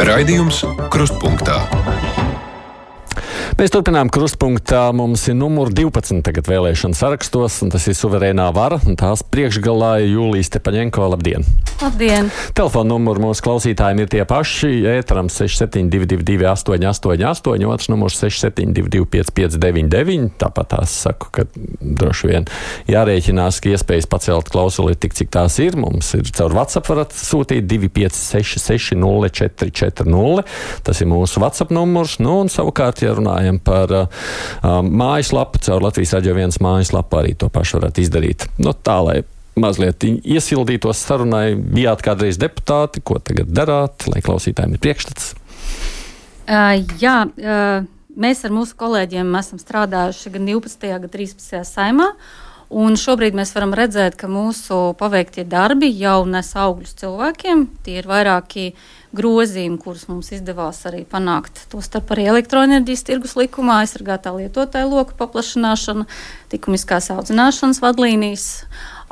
Raidījums Krustpunktā.
Mēs turpinām Krustpunktā. Mums ir numur divpadsmit tagad vēlēšana sarakstos, un tas ir Suverēnā vara. Tās priekšgalā ir Jūlija Stepaņenko. Labdien!
Labdien!
Telefona numuri mūsu klausītājiem ir tie paši. Ēteram seši septiņi divi divi divi astoņi astoņi astoņi, otrs numurs seši septiņi divi divi pieci pieci deviņi deviņi. Tāpat tās saku, ka droši vien jārēķinās, ka iespējas pacelt klausuli tik, cik tās ir. Mums ir caur WhatsApp varat sūtīt divi pieci seši seši nulle četri četri nulle. Tas ir mūsu WhatsApp numurs. Nu, un savukārt, ja runājam par uh, mājaslapu, caur Latvijas Radio viens mājaslapu arī to pašu varat izdarīt. Nu, tā, lai mazliet iesildītos sarunai, bijāt kādreiz deputāti, ko tagad darāt, lai klausītājiem ir priekšstats?
Uh, jā, uh, mēs ar mūsu kolēģiem esam strādājuši gan divpadsmitajā, gan trīspadsmitajā saimā, un šobrīd mēs varam redzēt, ka mūsu paveiktie darbi jau nes augļus cilvēkiem. Tie ir vairāki grozījumi, kurus mums izdevās arī panākt. Tostarp arī elektroenerģijas tirgus likumā, aizsargātā lietotāja loka paplašināšana, likumiskās audzināšanas vadlīnijas,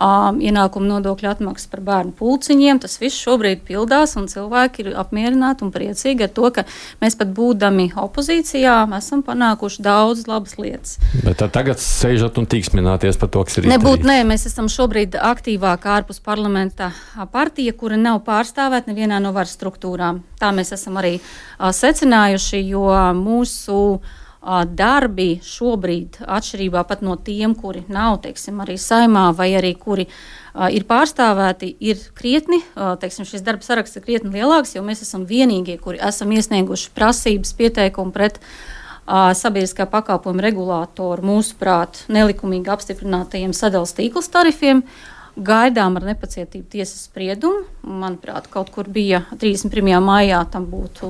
um, ienākuma nodokļa atmaksas par bērnu pulciņiem. Tas viss šobrīd pildās, un cilvēki ir apmierināti un priecīgi ar to, ka mēs pat būdami opozīcijā esam panākuši daudz labas lietas.
Bet tagad sēžat un tīksmināties par to, kas ir izdarīts.
Nebūt, nē, mēs esam šobrīd aktīvāk ārpus parlamenta partija, kura nav pārstāvēta nevienā no varas struktūrām. Tā mēs esam arī a, secinājuši, jo mūsu a, darbi šobrīd, atšķirībā pat no tiem, kuri nav, teiksim, arī saimā vai arī kuri a, ir pārstāvēti, ir krietni, a, teiksim, šis darba saraksts ir krietni lielāks, jo mēs esam vienīgie, kuri esam iesnieguši prasības pieteikumu pret a, sabiedriskā pakalpojuma regulātoru, mūsuprāt, nelikumīgi apstiprinātajiem sadales tīkls tarifiem. Gaidām ar nepacietību tiesas spriedumu. Manuprāt, kaut kur bija trīsdesmit pirmajā maijā tam būtu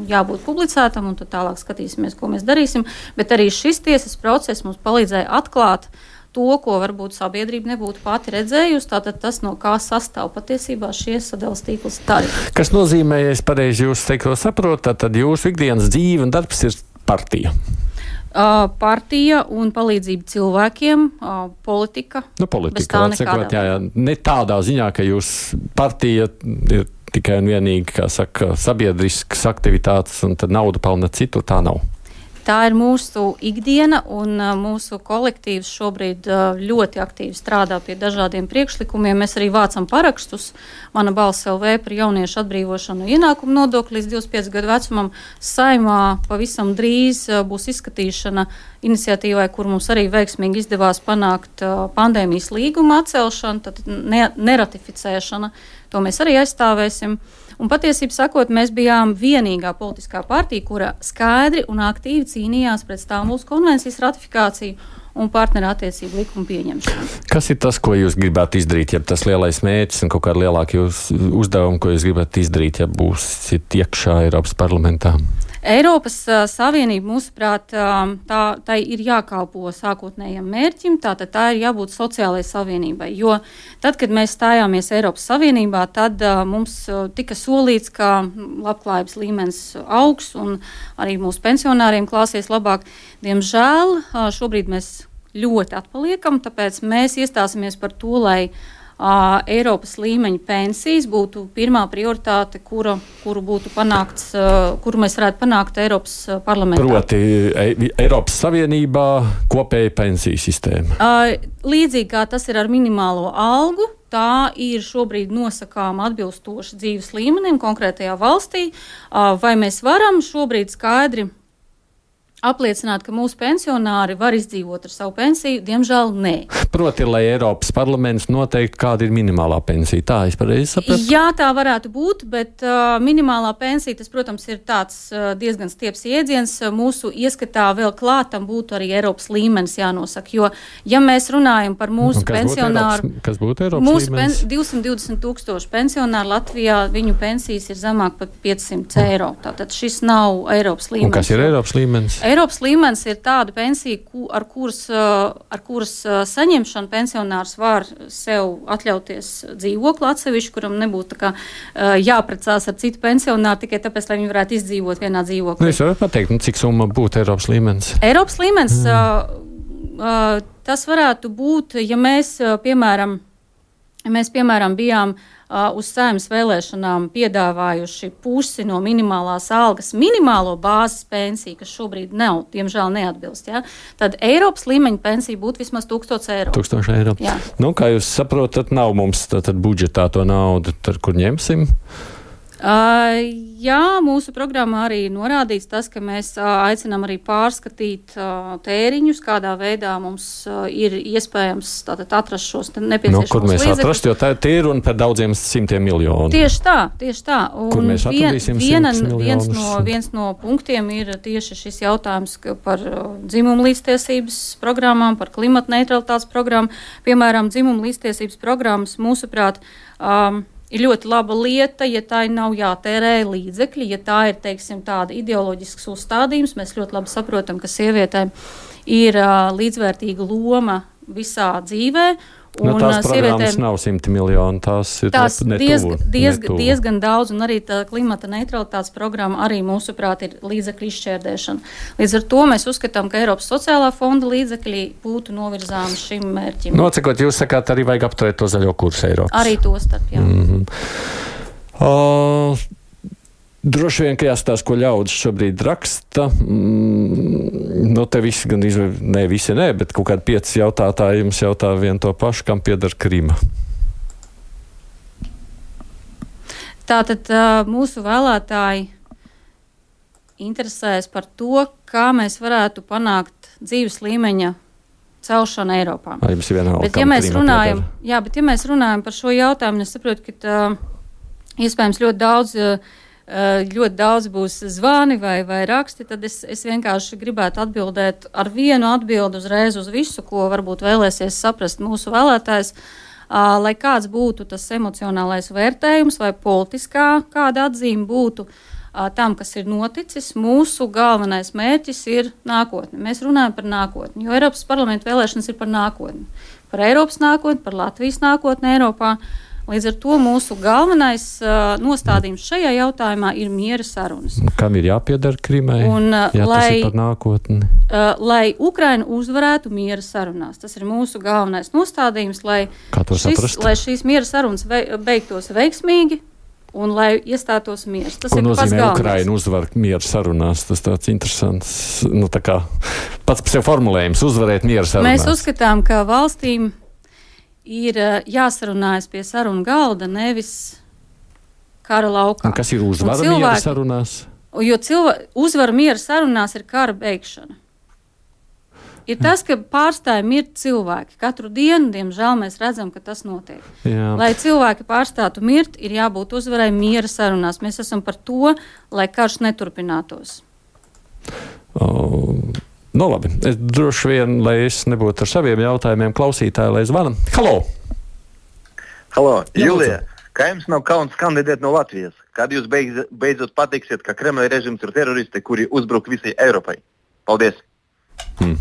jābūt publicētam, un tad tālāk skatīsimies, ko mēs darīsim. Bet arī šis tiesas process mums palīdzēja atklāt to, ko varbūt sabiedrība nebūtu pati redzējusi. Tātad tas, no kā sastāv patiesībā šie sadales tīkls tarifi.
Kas nozīmē, ja es pareizi jūs teikto saprotu, tad jūsu ikdienas dzīve un darbs ir partija?
Uh, partija un palīdzība cilvēkiem, uh, politika.
Nu, politika, atsakot, jā, jā. Ne tādā ziņā, ka jūs partija ir tikai un vienīgi, kā saka, sabiedriskas aktivitātes un tad nauda pelna citur, tā nav.
Tā ir mūsu ikdiena, un uh, mūsu kolektīvs šobrīd uh, ļoti aktīvi strādā pie dažādiem priekšlikumiem. Mēs arī vācam parakstus. Mana balss L V par jauniešu atbrīvošanu no ienākuma nodokļa līdz divdesmit pieci gadu vecumam. Saimā pavisam drīz uh, būs izskatīšana iniciatīvai, kur mums arī veiksmīgi izdevās panākt uh, pandēmijas līguma atcelšanu, tad ne, neratificēšana. To mēs arī aizstāvēsim. Un patiesībā sakot, mēs bijām vienīgā politiskā partija, kura skaidri un aktīvi cīnījās pret Stambulas konvencijas ratifikāciju un partnerattiecību likumu pieņemšanu.
Kas ir tas, ko jūs gribētu izdarīt, ja tas lielais mērķis un kaut kāda lielāka uzdevuma, ko jūs gribētu izdarīt, ja būsiet iekšā Eiropas parlamentā?
Eiropas uh, Savienība, mūsuprāt, uh, tā, tā ir jākalpo sākotnējam mērķim, tātad tā ir jābūt sociālajai savienībai, jo tad, kad mēs stājāmies Eiropas Savienībā, tad uh, mums uh, tika solīts, ka labklājības līmenis augs un arī mūsu pensionāriem klāsies labāk. Diemžēl uh, šobrīd mēs ļoti atpaliekam, tāpēc mēs iestāsimies par to, lai Uh, Eiropas līmeņa pensijas būtu pirmā prioritāte, kura, kuru būtu panākts, uh, kuru mēs varētu panākt Eiropas uh, parlamentā.
Proti e, Eiropas Savienībā kopēja pensiju sistēma.
Uh, līdzīgi kā tas ir ar minimālo algu, tā ir šobrīd nosakām atbilstoši dzīves līmenim konkrētajā valstī. Uh, vai mēs varam šobrīd skaidri apliecināt, ka mūsu pensionāri var izdzīvot ar savu pensiju? Diemžēl nē.
Proti, lai Eiropas parlaments noteikti, kāda ir minimālā pensija. Tā es pareizi sapratu?
Jā, tā varētu būt, bet uh, minimālā pensija, tas, protams, ir tāds uh, diezgan stieps jēdziens. Mūsu ieskatā vēl klātam būtu arī Eiropas līmenis jānosaka, jo, ja mēs runājam par mūsu pensionāru...
Būtu kas būtu Eiropas
mūsu
līmenis?
Pen, divsimt divdesmit tūkstoši pensionāru Latvijā, viņu pensijas ir zemāk par piecsimt eiro. Tātad šis nav Eiropas līmenis.
Un kas ir Eiropas līmenis?
Eiropas līmenis ir tāda pensija, ar kuras, ar kuras saņemšanu pensionārs var sev atļauties dzīvokli atsevišķi, kuram nebūtu tā kā jāprecās ar citu pensionāru tikai tāpēc, lai viņi varētu izdzīvot vienā dzīvoklī.
Nu, es varu pateikt, nu, cik summa būtu Eiropas līmenis?
Eiropas līmenis, mm. tas varētu būt, ja mēs, piemēram, ja mēs, piemēram, bijām Uh, uz Saeimas vēlēšanām piedāvājuši pusi no minimālās algas minimālo bāzes pensiju, kas šobrīd nav, diemžēl neatbilst, ja? Tad Eiropas līmeņa pensija būtu vismaz tūkstots eiro.
Tūkstoši eiro. Jā. Nu, kā jūs saprotat, nav mums tad budžetā to naudu, tad kur ņemsim?
Uh, jā, mūsu programmā arī norādīts tas, ka mēs uh, aicinām arī pārskatīt uh, tēriņus, kādā veidā mums uh, ir iespējams tātad atrast šos nepieciešamos līdzekļus.
Nu, kur mēs līdzekļus. atrast, jo tā ir un par daudziem simtiem miljonu.
Tieši tā, tieši tā. Un
kur mēs atradīsim
viena,
simtus miljonus?
Viens no, viens no punktiem ir tieši šis jautājums par uh, dzimumu līdztiesības programmām, par klimata neutralitātes programmu. Piemēram, dzimumu līdztiesības programmas, mūsuprāt, um, ir ļoti laba lieta, ja tā nav jātērē līdzekļi, ja tā ir, teiksim, tāda ideoloģisks uzstādījums. Mēs ļoti labi saprotam, ka sievietēm ir uh, līdzvērtīga loma visā dzīvē.
Un, nu, tās programmas nav simti miljoni, tās ir
tās
netuvu,
diezgan, diezgan,
netuvu.
diezgan daudz, un arī tā klimata neutralitātes programma arī mūsuprāt ir līdzekļu izšķērdēšana. Līdz ar to mēs uzskatām, ka Eiropas sociālā fonda līdzekļi būtu novirzāmi šim mērķim.
Nocekot, jūs sakāt, arī vajag apturēt to zaļo kursu Eiropas.
Arī to starp, jā.
Mm-hmm. Uh, Droši vien, ka jāstāsta, ko ļaudis šobrīd raksta. Mm, nu, te visi, gan izve, ne visi, ne, bet kaut kādi pieci jautātāji jums jautā vienu to pašu, kam pieder Krima.
Tātad mūsu vēlētāji interesēs par to, kā mēs varētu panākt dzīves līmeņa celšanu Eiropā.
Ai, jums ir vienalga,
bet, ja mēs runājam, jā, bet ja mēs runājam par šo jautājumu, es saprotu, ka tā, iespējams ļoti daudz ļoti daudz būs zvani vai, vai raksti, tad es, es vienkārši gribētu atbildēt ar vienu atbildi uzreiz uz visu, ko varbūt vēlēsies saprast mūsu vēlētājs, uh, lai kāds būtu tas emocionālais vērtējums vai politiskā kāda atzīme būtu. tam, kas ir noticis. Mūsu galvenais mērķis ir nākotne. Mēs runājam par nākotni, jo Eiropas parlamenta vēlēšanas ir par nākotni. Par Eiropas nākotni, par Latvijas nākotni Eiropā. Līdz ar to mūsu galvenais uh, nostādījums šajā jautājumā ir miera sarunas.
Kam ir jāpiedara Krimai,
un, uh,
ja
lai,
tas ir par nākotni?
Uh, lai Ukraina uzvarētu miera sarunās. Tas ir mūsu galvenais nostādījums, lai, šis, lai šīs miera sarunas beigtos veiksmīgi un lai iestātos miers. Tas
Ko
ir
nozīmē Ukraina uzvar miera sarunās? Tas tāds interesants, nu tā kā pats par sev formulējums, uzvarēt miera sarunās.
Mēs uzskatām, ka valstīm ir jāsarunājas pie sarunu galda, nevis kara laukā.
Un kas ir uzvara cilvēki, miera sarunās?
Jo cilvē, uzvara miera sarunās ir kara beigšana. Ir tas, ka pārstāja mirt cilvēki. Katru dienu, diemžēl, mēs redzam, ka tas notiek. Jā. Lai cilvēki pārstātu mirt, ir jābūt uzvarai miera sarunās. Mēs esam par to, lai karš neturpinātos.
Oh. Nu, labi. Es droši vien, lai es nebūtu ar saviem jautājumiem, klausītāji, lai zvana. Halo!
Halo, Julija, kā jums nav kauns kandidēt no Latvijas? Kad jūs beidz, beidzot pateiksiet, ka Kremļa režims ir teroristi, kuri uzbruk visai Eiropai? Paldies!
Hmm.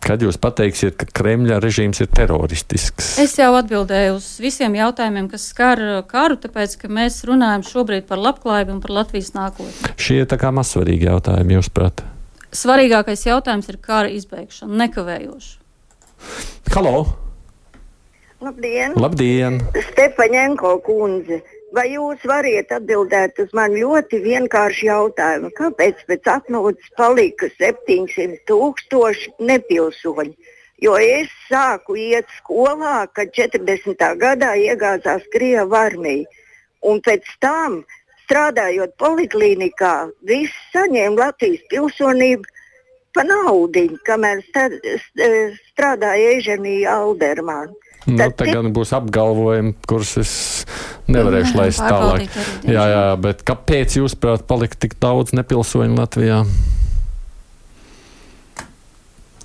Kad jūs pateiksiet, ka Kremļa režīms ir teroristisks?
Es jau atbildēju uz visiem jautājumiem, kas skar karu, tāpēc, ka mēs runājam šobrīd par labklājību un par Latvijas nākotni.
Šie tā kā mazsvarīgi jautājumi, jūs prāt?
Svarīgākais jautājums ir kara izbeigšana, nekavējoši.
Halo!
Labdien!
Labdien!
Stepaņenko kundze, vai jūs variet atbildēt uz man ļoti vienkāršu jautājumu? Kāpēc pēc atmodas palika septiņsimt tūkstoši nepilsoņi? Jo es sāku iet skolā, kad četrdesmitā gadā iegāzās Krievu armija. Un pēc tam, strādājot poliklīnikā, visi saņēma Latvijas pilsonību pa naudiņu, kamēr strādāja Eženija Aldermāna.
Nu,
Tad
te gan būs apgalvojumi, kurus es nevarēšu laist tālāk. Jā, jā, bet kāpēc jūs prāt palika tik daudz nepilsoņu Latvijā?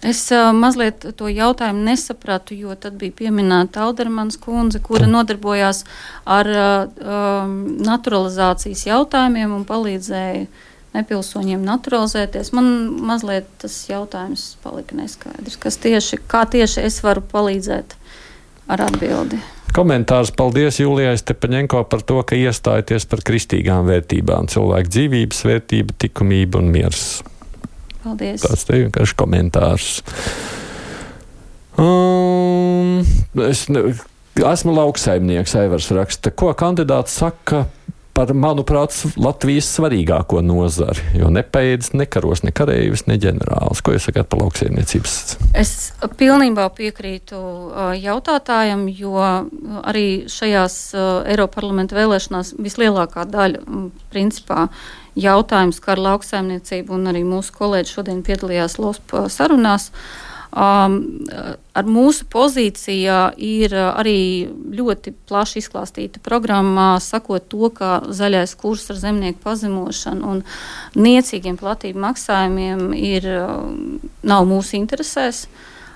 Es uh, mazliet to jautājumu nesapratu, jo tad bija pieminēta Aldermans kundze, kura nodarbojās ar uh, um, naturalizācijas jautājumiem un palīdzēja nepilsoņiem naturalizēties. Man mazliet tas jautājums palika neskaidrs, kas tieši, kā tieši es varu palīdzēt ar atbildi.
Komentārs: paldies Julijai Stepaņenko par to, ka iestājaties par kristīgām vērtībām, cilvēku dzīvības vērtība, likumība un miers.
Paldies.
Tāds te vienkārši komentārs. Um, es ne, esmu lauksaimnieks, Aivars raksta. Ko kandidāts saka par, manuprāt, Latvijas svarīgāko nozari? Jo nepēdz ne karos, ne kareivis, ne ģenerālis. Ko jūs sakāt par lauksaimniecības?
Es pilnībā piekrītu uh, jautātājam, jo arī šajās uh, Eiroparlamenta vēlēšanās vislielākā daļa um, principā jautājums kā ar lauksaimniecību, un arī mūsu kolēģi šodien piedalījās LOSP sarunās. Um, ar mūsu pozīcijā ir arī ļoti plaši izklāstīta programmā, sakot to, ka zaļais kurs ar zemnieku pazemošanu un niecīgiem platību maksājumiem ir, nav mūsu interesēs.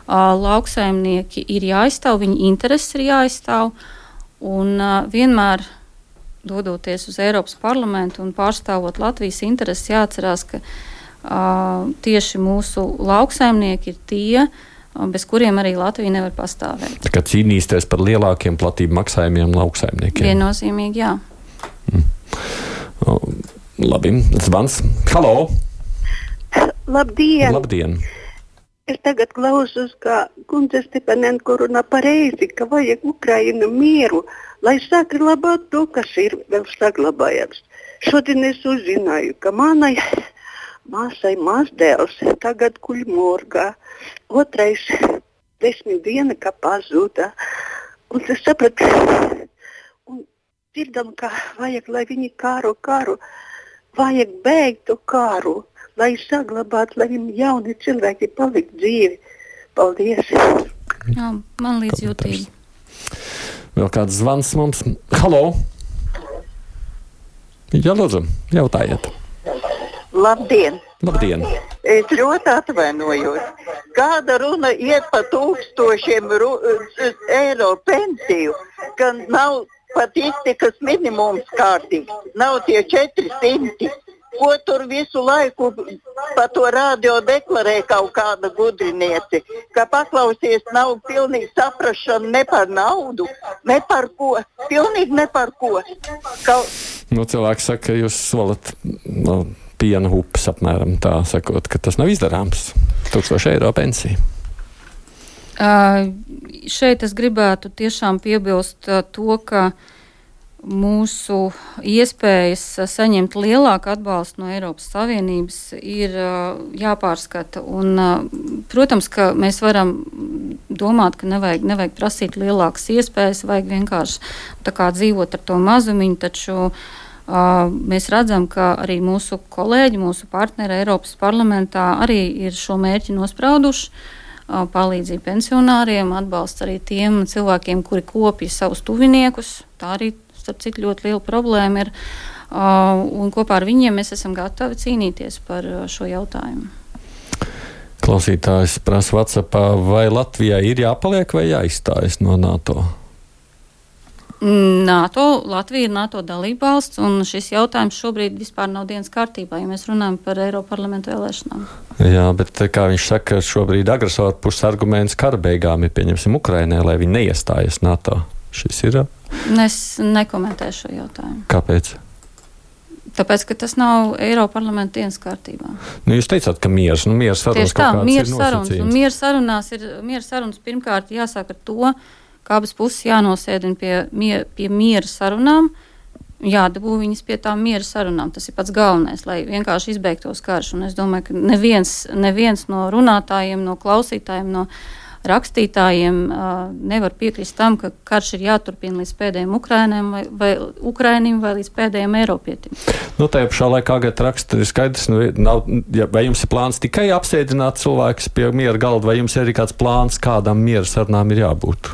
Uh, lauksaimnieki ir jāaizstāv, viņu intereses ir jāaizstāv, un uh, vienmēr dodoties uz Eiropas parlamentu un pārstāvot Latvijas intereses, jāatcerās, ka uh, tieši mūsu lauksaimnieki ir tie, uh, bez kuriem arī Latvija nevar pastāvēt.
Tā kā cīnīsties par lielākiem platību maksājumiem lauksaimniekiem.
Viennozīmīgi, jā.
Mm. O, labi, zvans. Halo!
Labdien!
Labdien!
Es tagad klausos, kā kundze Stepaņenko runā pareizi, ka vajag Ukrainu mieru, lai saglabātu to, kas ir vēl saglabājams. Šodien es uzzināju, ka manai māsai mazdēls tagad guļ morgā. Otrais desmit diena, kā pazuda. Un es sapratu, un dzirdam, ka vajag, lai viņi kāro kāru, vajag beigt to kāru, lai saglabātu, lai viņi jauni cilvēki palikt dzīvi. Paldies!
Jā, man līdzjūtīgi.
Vēl kāds zvans mums. Halo! Jā, lūdzu, jautājiet.
Labdien!
Labdien!
Es ļoti atvainojos. Kāda runa iet par tūkstošiem ru, eiro pensiju, ka nav pat iztikas minimums kārtīgs. Nav tie četri simti. Ko tur visu laiku pa to radio deklarē kaut kāda gudrinieci, ka paklausies nav pilnīgi saprašana ne par naudu, ne par ko, pilnīgi ne par ko. Kaut...
Nu, cilvēki saka, ka jūs solat no, piena upes apmēram tā, sakot, ka tas nav izdarāms. Tūkstoši eiro pensija.
Uh, šeit es gribētu tiešām piebilst uh, to, ka mūsu iespējas saņemt lielāku atbalstu no Eiropas Savienības ir uh, jāpārskata. Un, uh, protams, ka mēs varam domāt, ka nevajag, nevajag prasīt lielākas iespējas, vajag vienkārši tā kā dzīvot ar to mazumiņu, taču uh, mēs redzam, ka arī mūsu kolēģi, mūsu partneri Eiropas parlamentā arī ir šo mērķi nosprauduši. Uh, palīdzību pensionāriem, atbalsts arī tiem cilvēkiem, kuri kopja savus tuviniekus. Tā arī starp citu ļoti liela problēma ir, uh, un kopā ar viņiem mēs esam gatavi cīnīties par uh, šo jautājumu.
Klausītājs prasa WhatsAppā, vai Latvijai ir jāpaliek vai jāizstājas no NATO?
NATO, Latvija ir NATO dalībvalsts, un šis jautājums šobrīd vispār nav dienas kārtībā, ja mēs runājam par Eiroparlamentu vēlēšanām.
Jā, bet kā viņš saka, šobrīd agresoru puses arguments kara beigām ir, pieņemsim, Ukrainai, lai viņi neiestājas NATO. Šis ir?
Es nekomentēšu šo jautājumu.
Kāpēc?
Tāpēc, ka tas nav Eiroparlamenta dienas kārtībā.
Nu, jūs teicāt, ka miers, nu miers sarunas kaut kāds ir nosacījums.
Un miers sarunās ir, miers sarunas pirmkārt jāsāk ar to, ka abas puses jānosēdina pie, mier, pie miera sarunām, jādabū viņas pie tām miera sarunām. Tas ir pats galvenais, lai vienkārši izbeigtos karš. Un es domāju, ka neviens, neviens no runātājiem, no klausītājiem, no rakstītājiem uh, nevar piekrist tam, ka karš ir jāturpina līdz pēdējiem Ukrainiem vai, vai Ukrainim vai līdz pēdējiem Eiropietim.
Nu, tajā pašā laikā, kad raksta, ir skaidrs, nu, nav, ja, vai jums ir plāns tikai apsēdināt cilvēkus pie miera galda, vai jums ir arī kāds plāns, kādam miera sarunām ir jābūt?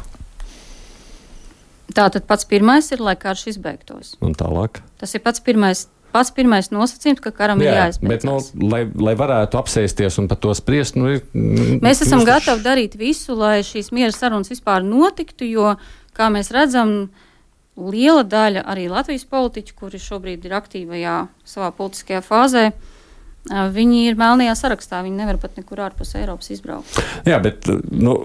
Tātad pats pirmais ir, lai karš izbeigtos.
Un tālāk?
Tas ir pats pirmais. Pats pirmais nosacījums, ka karam
jā,
ir jāizbeidzas.
Bet, nu, lai, lai varētu apsēsties un par to spriest, nu, ir...
Mēs esam jūs... gatavi darīt visu, lai šīs miera sarunas vispār notiktu, jo, kā mēs redzam, liela daļa arī Latvijas politiķu, kuri šobrīd ir aktīvajā savā politiskajā fāzē, viņi ir melnajā sarakstā, viņi nevar pat nekur ārpus Eiropas izbraukt.
Jā, bet, nu...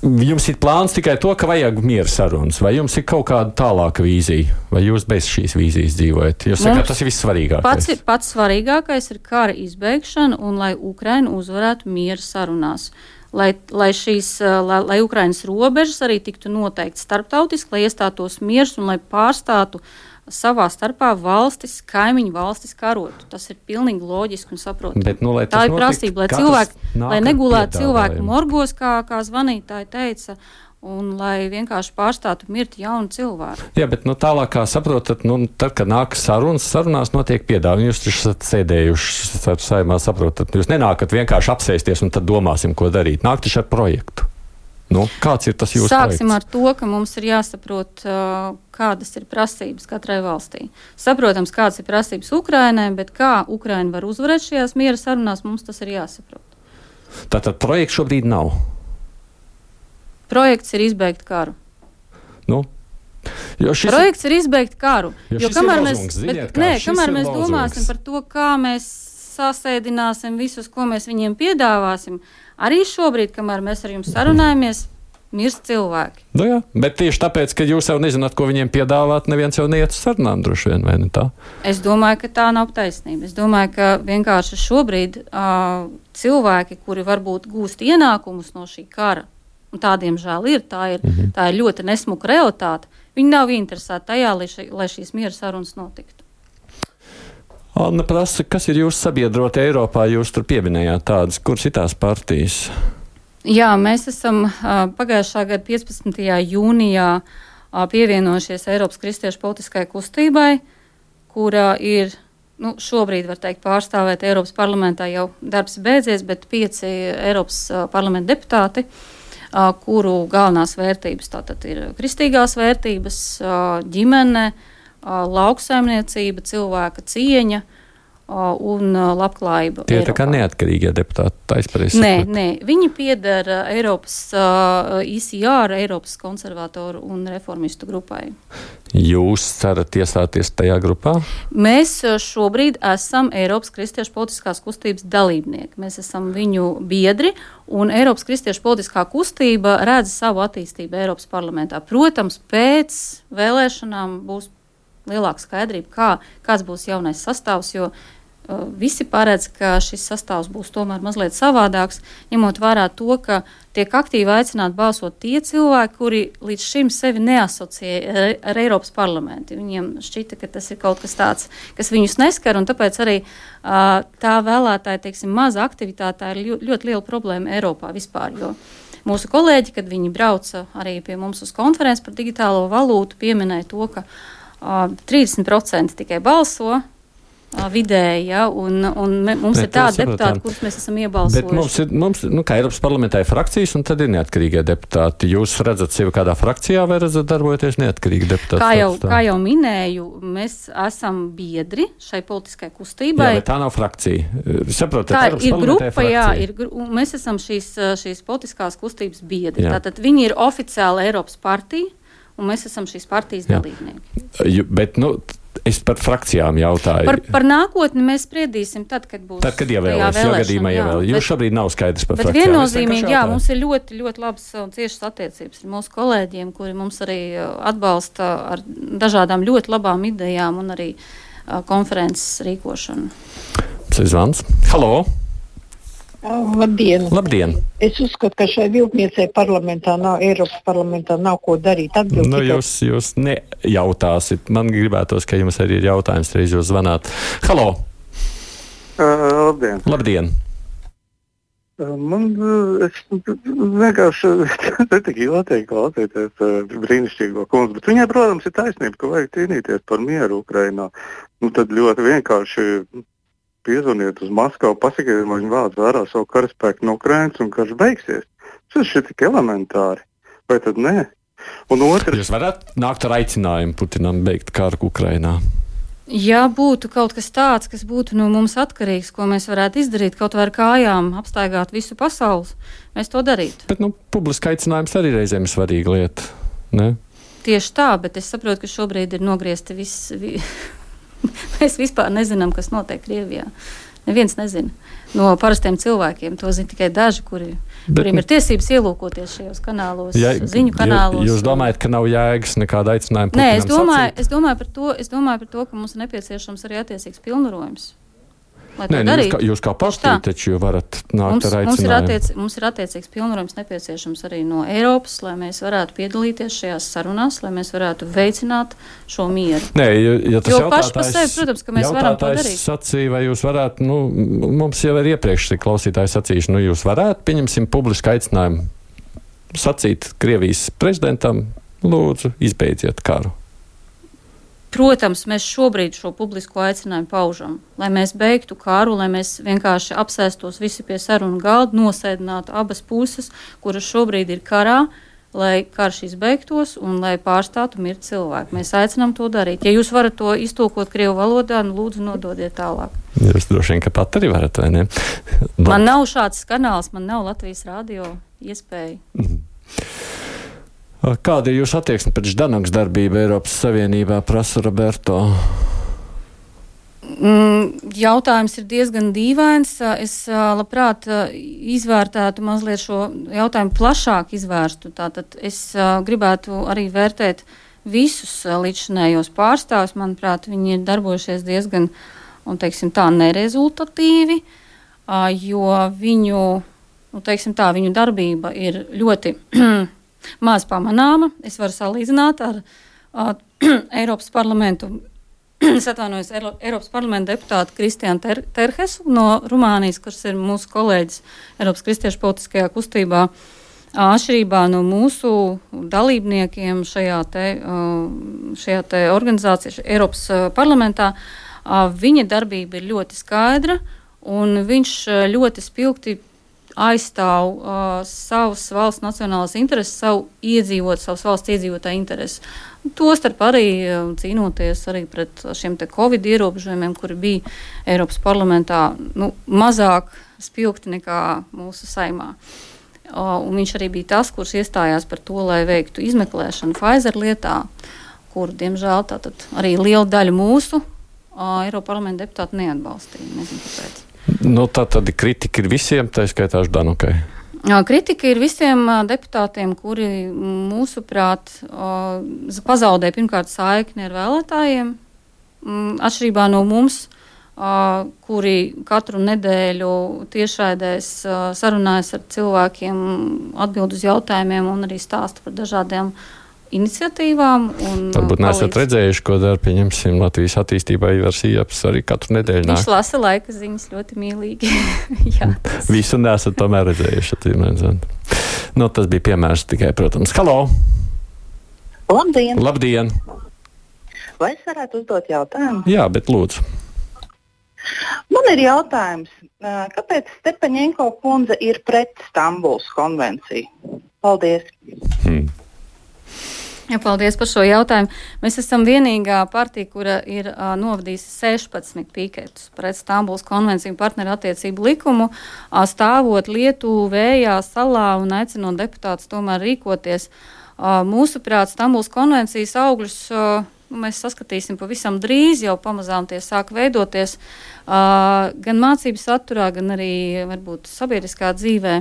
Jums ir plāns tikai to, ka vajag miera sarunas, vai jums ir kaut kāda tālāka vīzija, vai jūs bez šīs vīzijas dzīvojat? Jūs sakāt, tas ir vissvarīgākais.
Pats, pats svarīgākais ir kara izbeigšana un lai Ukraina uzvarētu miera sarunās. Lai, lai, šīs, lai, lai Ukrainas robežas arī tiktu noteikti starptautiski, lai iestātos miers un lai pārstātu savā starpā valstis, kaimiņu valstis karotu. Tas ir pilnīgi loģiski un saprotami.
Bet, nu,
tā ir prasība, lai cilvēki, lai negulētu cilvēku morgos, kā, kā zvanītāji teica, un lai vienkārši pārstātu mirt jaunu cilvēku.
Jā, bet nu, tālāk, kā saprotat, nu, tad, kad nāk sarunas, sarunās notiek piedāvājumi. Jūs taču esat sēdējuši saimā, saprotat, jūs nenākat vienkārši apsēsties un tad domāsim, ko darīt. Nāk taču ar projektu. Nu, kāds ir tas jūsu
Sāksim
projekts?
Ar to, ka mums ir jāsaprot, uh, kādas ir prasības katrai valstī. Saprotams, kādas ir prasības Ukrainai, bet kā Ukraina var uzvarēt šajās miera sarunās, mums tas ir jāsaprot.
Tātad projekts šobrīd nav?
Projekts ir izbeigt karu.
Nu? Jo šis
projekts ir izbeigt karu.
Jo,
jo kamēr mēs,
lozungs, ziniet,
bet, nē, kamēr mēs
lozungs.
domāsim par to, kā mēs sasēdināsim visus, ko mēs viņiem piedāvāsim, arī šobrīd, kamēr mēs ar jums sarunājamies, mirst cilvēki.
Nu jā, bet tieši tāpēc, ka jūs jau nezināt, ko viņiem piedāvāt, neviens jau neiet uz sarunām droši vien, vai ne tā?
Es domāju, ka tā nav taisnība. Es domāju, ka vienkārši šobrīd uh, cilvēki, kuri varbūt gūst ienākumus no šī kara, un tādiem žēl ir, tā ir, mm-hmm. tā ir ļoti nesmuka realitāte, viņi nav interesēti tajā, lai, ši, lai šīs miera sarunas notiktu.
Anna prasa, kas ir jūsu sabiedroti Eiropā? Jūs tur pieminējāt tādas, kuras ir tās partijas?
Jā, mēs esam uh, pagājušā gada piecpadsmitajā jūnijā uh, pievienojušies Eiropas kristiešu politiskai kustībai, kura ir, nu, šobrīd var teikt pārstāvēt Eiropas parlamentā, jau darbs beidzies, bet pieci Eiropas uh, parlamenta deputāti, uh, kuru galvenās vērtības tātad ir kristīgās vērtības, uh, ģimene, lauksaimniecība, cilvēka cieņa un labklājību.
Tie ir
Eiropā.
tā kā neatkarīgie deputāti, tā izpareizi
Nē,
sapratu.
nē, viņi pieder Eiropas uh, I C R, Eiropas konservatoru un reformistu grupai.
Jūs cerat iestāties tajā grupā?
Mēs šobrīd esam Eiropas kristiešu politiskās kustības dalībnieki. Mēs esam viņu biedri, un Eiropas kristiešu politiskā kustība redz savu attīstību Eiropas parlamentā. Protams, pēc vēlēšanām būs lielāka skaidrība, kā, kāds būs jaunais sastāvs, jo uh, visi paredz, ka šis sastāvs būs tomēr mazliet savādāks, ņemot vērā to, ka tiek aktīvi aicināti balsot tie cilvēki, kuri līdz šim sevi neasociē ar, ar Eiropas parlamentu. Viņiem šķita, ka tas ir kaut kas tāds, kas viņus neskar, un tāpēc arī uh, tā vēlētāja, teiksim, maza aktivitāte ir ļoti, ļoti liela problēma Eiropā vispār, jo mūsu kolēģi, kad viņi brauca arī pie mums uz konferenci par digitālo valūtu, pieminēja to, ka Uh, trīsdesmit procenti tikai balso uh, vidēji, ja, un, un me, mums bet ir tādi deputāti, kurus mēs esam iebalsojuši.
Bet mums ir, mums, nu, kā Eiropas parlamentā ir frakcijas, un tad ir neatkarīgie deputāti. Jūs redzat sevi kādā frakcijā vai redzat darbojoties neatkarīgi deputāti?
Kā jau, kā jau minēju, mēs esam biedri šai politiskai kustībai.
Jā, bet tā nav frakcija. Saprotat,
tā
Eiropas
ir grupa,
ir
jā, ir, mēs esam šīs, šīs politiskās kustības biedri.
Jā.
Tātad viņi ir oficiāli Eiropas partija, un mēs esam šīs partijas dalībnieki.
Bet, nu, es par frakcijām jautāju.
Par, par nākotni mēs spriedīsim tad, kad būs
tad, kad ievēlēs, jo gadījumā ievēl. Jūs šobrīd nav skaidrs par
bet
frakcijām.
Bet viennozīmīgi, jā, mums ir ļoti, ļoti labas un ciešas attiecības ar mūsu kolēģiem, kuri mums arī atbalsta ar dažādām ļoti labām idejām un arī uh, konferences rīkošanu.
Zvans. Halo!
Oh, labdien.
Labdien!
Es uzskatu, ka šai viltniecei parlamentā nav, Eiropas parlamentā nav ko darīt. Atbild
nu,
tikai...
jūs, jūs nejautāsit. Man gribētos, ka jums arī ir jautājums, reiz jūs zvanāt. Halo!
Uh, labdien!
Labdien!
Uh, man es vienkārši netiku jotīgi klausīties uh, brīnišķīgo kundzi, bet viņai, protams, ir taisnība, ka vajag cīnīties par mieru Ukrainā. Nu, tad ļoti vienkārši piezvaniet uz Maskavu, pasakiet, vai viņi vāc vērā savu karaspēku no Ukrainas un karš beigsies. Tas ir tik elementāri. Vai tad nē? Un otrs...
Jūs varat nākt ar aicinājumu Putinam beigt karu Ukrainā?
Ja būtu kaut kas tāds, kas būtu no mums atkarīgs, ko mēs varētu izdarīt, kaut vai ar kājām apstaigāt visu pasaules, mēs to darītu.
Bet, nu, publiski aicinājums arī reizēm ir svarīga lieta, ne?
Tieši tā, bet es saprotu, ka šobrīd ir nogriezti viss... Vi... Mēs vispār nezinām, kas notiek Krievijā. Neviens nezina. No parastiem cilvēkiem to zina tikai daži, kuri, bet, kuriem ir tiesības ielūkoties šajos kanālos, ja, ziņu kanālos.
Jūs domājat, ka nav jēgas nekāda aicinājuma?
Nē, es domāju, es domāju par to, es domāju par to, ka mums ir nepieciešams arī attiecīgs pilnvarojums.
Nē, nu, jūs, kā, jūs kā partija taču varat nākt
mums,
ar aicinājumu.
Mums ir, attiec, mums ir attiecīgs pilnvarojums nepieciešams arī no Eiropas, lai mēs varētu piedalīties šajās sarunās, lai mēs varētu veicināt šo mieru.
Nē, ja, ja tas
jo paši par sevi, protams, ka mēs varam to darīt.
Sacīja, vai jūs varētu, nu, mums jau ir iepriekš klausītāji sacījuši, nu, jūs varētu, pieņemsim publisku aicinājumu sacīt Krievijas prezidentam, lūdzu, izbeidziet karu.
Protams, mēs šobrīd šo publisko aicinājumu paužam, lai mēs beigtu karu, lai mēs vienkārši apsēstos visi pie sarunu galda, nosēdinātu abas puses, kuras šobrīd ir karā, lai karš izbeigtos un lai pārstātu mirt cilvēki. Mēs aicinām to darīt. Ja jūs varat to iztulkot krievu valodā, nu lūdzu nododiet tālāk.
Jūs droši vien, ka pat arī varat, vai ne?
Man nav šāds kanāls, man nav Latvijas radio iespēja.
Mm. Kāda ir jūsu attieksme pret Ždanokas darbību Eiropas Savienībā, prasa Roberto?
Mm, jautājums ir diezgan dīvains. Es labprāt izvērtētu mazliet šo jautājumu plašāk izvērstu. Tātad es gribētu arī vērtēt visus līdzšinējos pārstāvus. Manuprāt, viņi ir darbojušies diezgan, un teiksim tā, nerezultatīvi, jo viņu, nu, teiksim tā, viņu darbība ir ļoti maz pamanāma. Es varu salīdzināt ar uh, Eiropas parlamentu, es atvainojos, Eiro, Eiropas parlamenta deputātu Kristiānu Ter Terhesu no Rumānijas, kurš ir mūsu kolēģis Eiropas kristiešu politiskajā kustībā. Atšķirībā no mūsu dalībniekiem šajā te, uh, šajā te organizācijā, Eiropas uh, parlamentā, uh, viņa darbība ir ļoti skaidra, un viņš ļoti spilgti aizstāv uh, savas valsts nacionālās intereses, savu iedzīvot, savas valsts iedzīvotāju intereses. Tostarp arī uh, cīnoties arī pret šiem te Covid ierobežojumiem, kuri bija Eiropas parlamentā nu, mazāk spilgti nekā mūsu saimā. Uh, un viņš arī bija tas, kurš iestājās par to, lai veiktu izmeklēšanu Pfizer lietā, kur, diemžēl, tātad arī liela daļa mūsu uh, Eiropas parlamenta deputāti neatbalstīja. Nezinu, kāpēc.
Nu, tā tad kritika ir visiem, tā skaitā Ždanukai.
Kritika ir visiem deputātiem, kuri mūsuprāt pazaudē pirmkārt saikni ar vēlētājiem, atšķirībā no mums, kuri katru nedēļu tiešraidēs sarunājas ar cilvēkiem, atbild uz jautājumiem un arī stāsta par dažādiem iniciatīvām.
Varbūt neesat redzējuši, ko dara, pieņemsim, Latvijas attīstībā Ivars Ieps arī katru nedēļu nāk.
Viņš lasa laika ziņas ļoti mīlīgi. Jā, tas...
Visu nesat tomēr redzējuši. Nu, tas bija piemērs tikai, protams. Halo!
Labdien!
Labdien!
Vai es varētu uzdot jautājumu?
Jā, bet lūdzu.
Man ir jautājums, kāpēc Stepaņenko kundze ir pret Stambulas konvenciju? Paldies!
Hmm.
Ja, paldies par šo jautājumu. Mēs esam vienīgā partija, kura ir uh, novadījusi sešpadsmit piketus pret Stambulas konvenciju partneru attiecību likumu, uh, stāvot Lietuvu vējā salā un aicinot deputātus tomēr rīkoties. Uh, mūsuprāt, Stambulas konvencijas augļus uh, mēs saskatīsim pavisam drīz, jau pamazām tie sāk veidoties uh, gan mācību saturā, gan arī varbūt sabiedriskā dzīvē.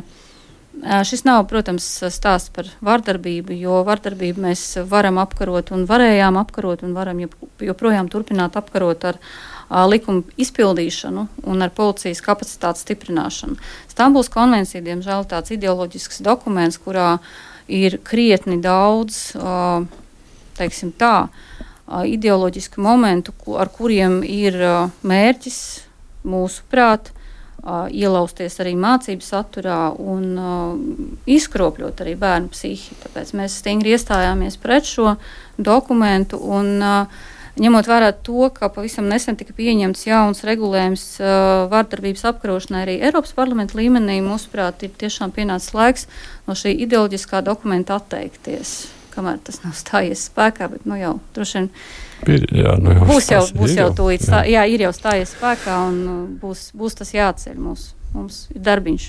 Šis nav, protams, stāsts par vardarbību, jo vardarbību mēs varam apkarot un varējām apkarot un varam joprojām turpināt apkarot ar a, likumu izpildīšanu un ar policijas kapacitātes stiprināšanu. Stambulas konvencija, diemžēl, tāds ideoloģisks dokuments, kurā ir krietni daudz, a, teiksim tā, a, ideoloģisku momentu, ar kuriem ir a, mērķis mūsu prāt, Uh, ielausties arī mācību saturā un uh, izkropļot arī bērnu psihi. Tāpēc mēs stingri iestājāmies pret šo dokumentu un uh, ņemot vērā to, ka pavisam nesen tika pieņemts jauns regulējums uh, vardarbības apkarošanai arī Eiropas parlamenta līmenī, mūsuprāt, ir tiešām pienācis laiks no šī ideoloģiskā dokumenta atteikties, kamēr tas nav stājies spēkā, bet nu jau droši vien
Ir, jā, nu jau
būs jau, būs jau
jau
tūlīt, stā, jā, ir jau stājies spēkā un būs, būs tas jāatceļ mūs. Mums ir darbiņš.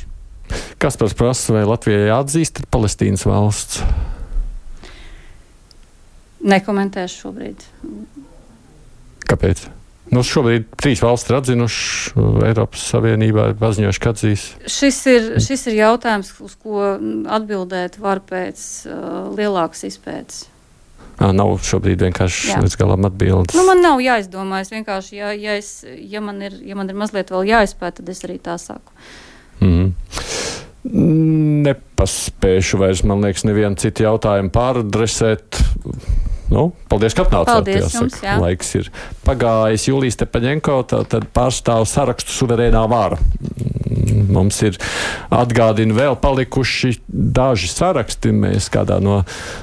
Kaspars prasa, vai Latvijai jāatzīst Palestīnas valsts?
Nekomentēšu šobrīd.
Kāpēc? Nu, šobrīd trīs valsts ir atzinuši, Eiropas Savienībā paziņojuši, ka atzīs. Šis
ir, šis ir jautājums, uz ko atbildēt var pēc uh, lielākas izpētes.
Nav šobrīd vienkārši līdz galam atbildes.
Nu, man nav jāizdomājas. Vienkārši, ja, ja, es, ja, man ir, ja man ir mazliet vēl jāizpēt, tad es arī tā saku.
Mm. Nepaspēšu vairs, man liekas, nevienu citu jautājumu pāradresēt. Nu, paldies, ka atnācāt.
Paldies jāsaka. Jums, jā.
Laiks ir pagājis. Julija Stepaņenko, tad pārstāv sarakstu suverēnā vara. Mums ir atgādina vēl palikuši daži saraksti. Mēs kādā no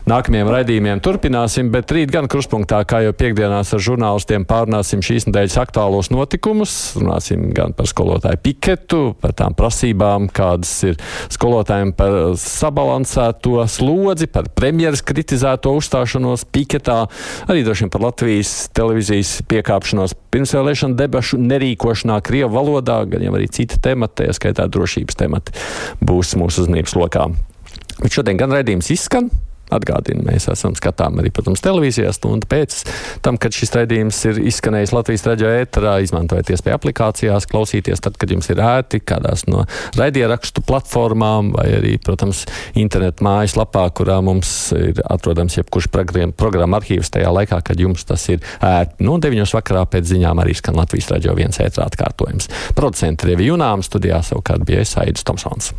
nākamajiem raidījumiem turpināsim, bet rīt gan kruspunktā, kā jau piekdienās ar žurnālistiem, pārunāsim šīs nedēļas aktuālos notikumus. Runāsim gan par skolotāju piketu, par tām prasībām, kādas ir skolotājiem par sabalansēto slodzi, par premjeras kritizēto uzstāšanos piketā, arī droši vien par Latvijas televīzijas piekāpšanos pirmsvēlēšanu debašu nerīkošanā Krievu valodā, gan jau arī cita temata, skaitā drošības temati, būs mūsu uzmanības lokā. Bet šodien gan raidījums izskan. Atgādinu, mēs esam skatām arī, protams, televīzijā stundu pēc tam, kad šis raidījums ir izskanējis Latvijas radio ēterā. Izmantojiet iespēju aplikācijās, klausīties tad, kad jums ir ērti, kādās no raidierakstu platformām vai arī, protams, internetu mājaslapā, kurā mums ir atrodams jebkurš programma arhīvs tajā laikā, kad jums tas ir ērti. No deviņos vakarā pēc ziņām arī skan Latvijas radio viens ēterā atkārtojums. Producenti Revi Junām, studijā savukārt bija es, Aidis Tomsons.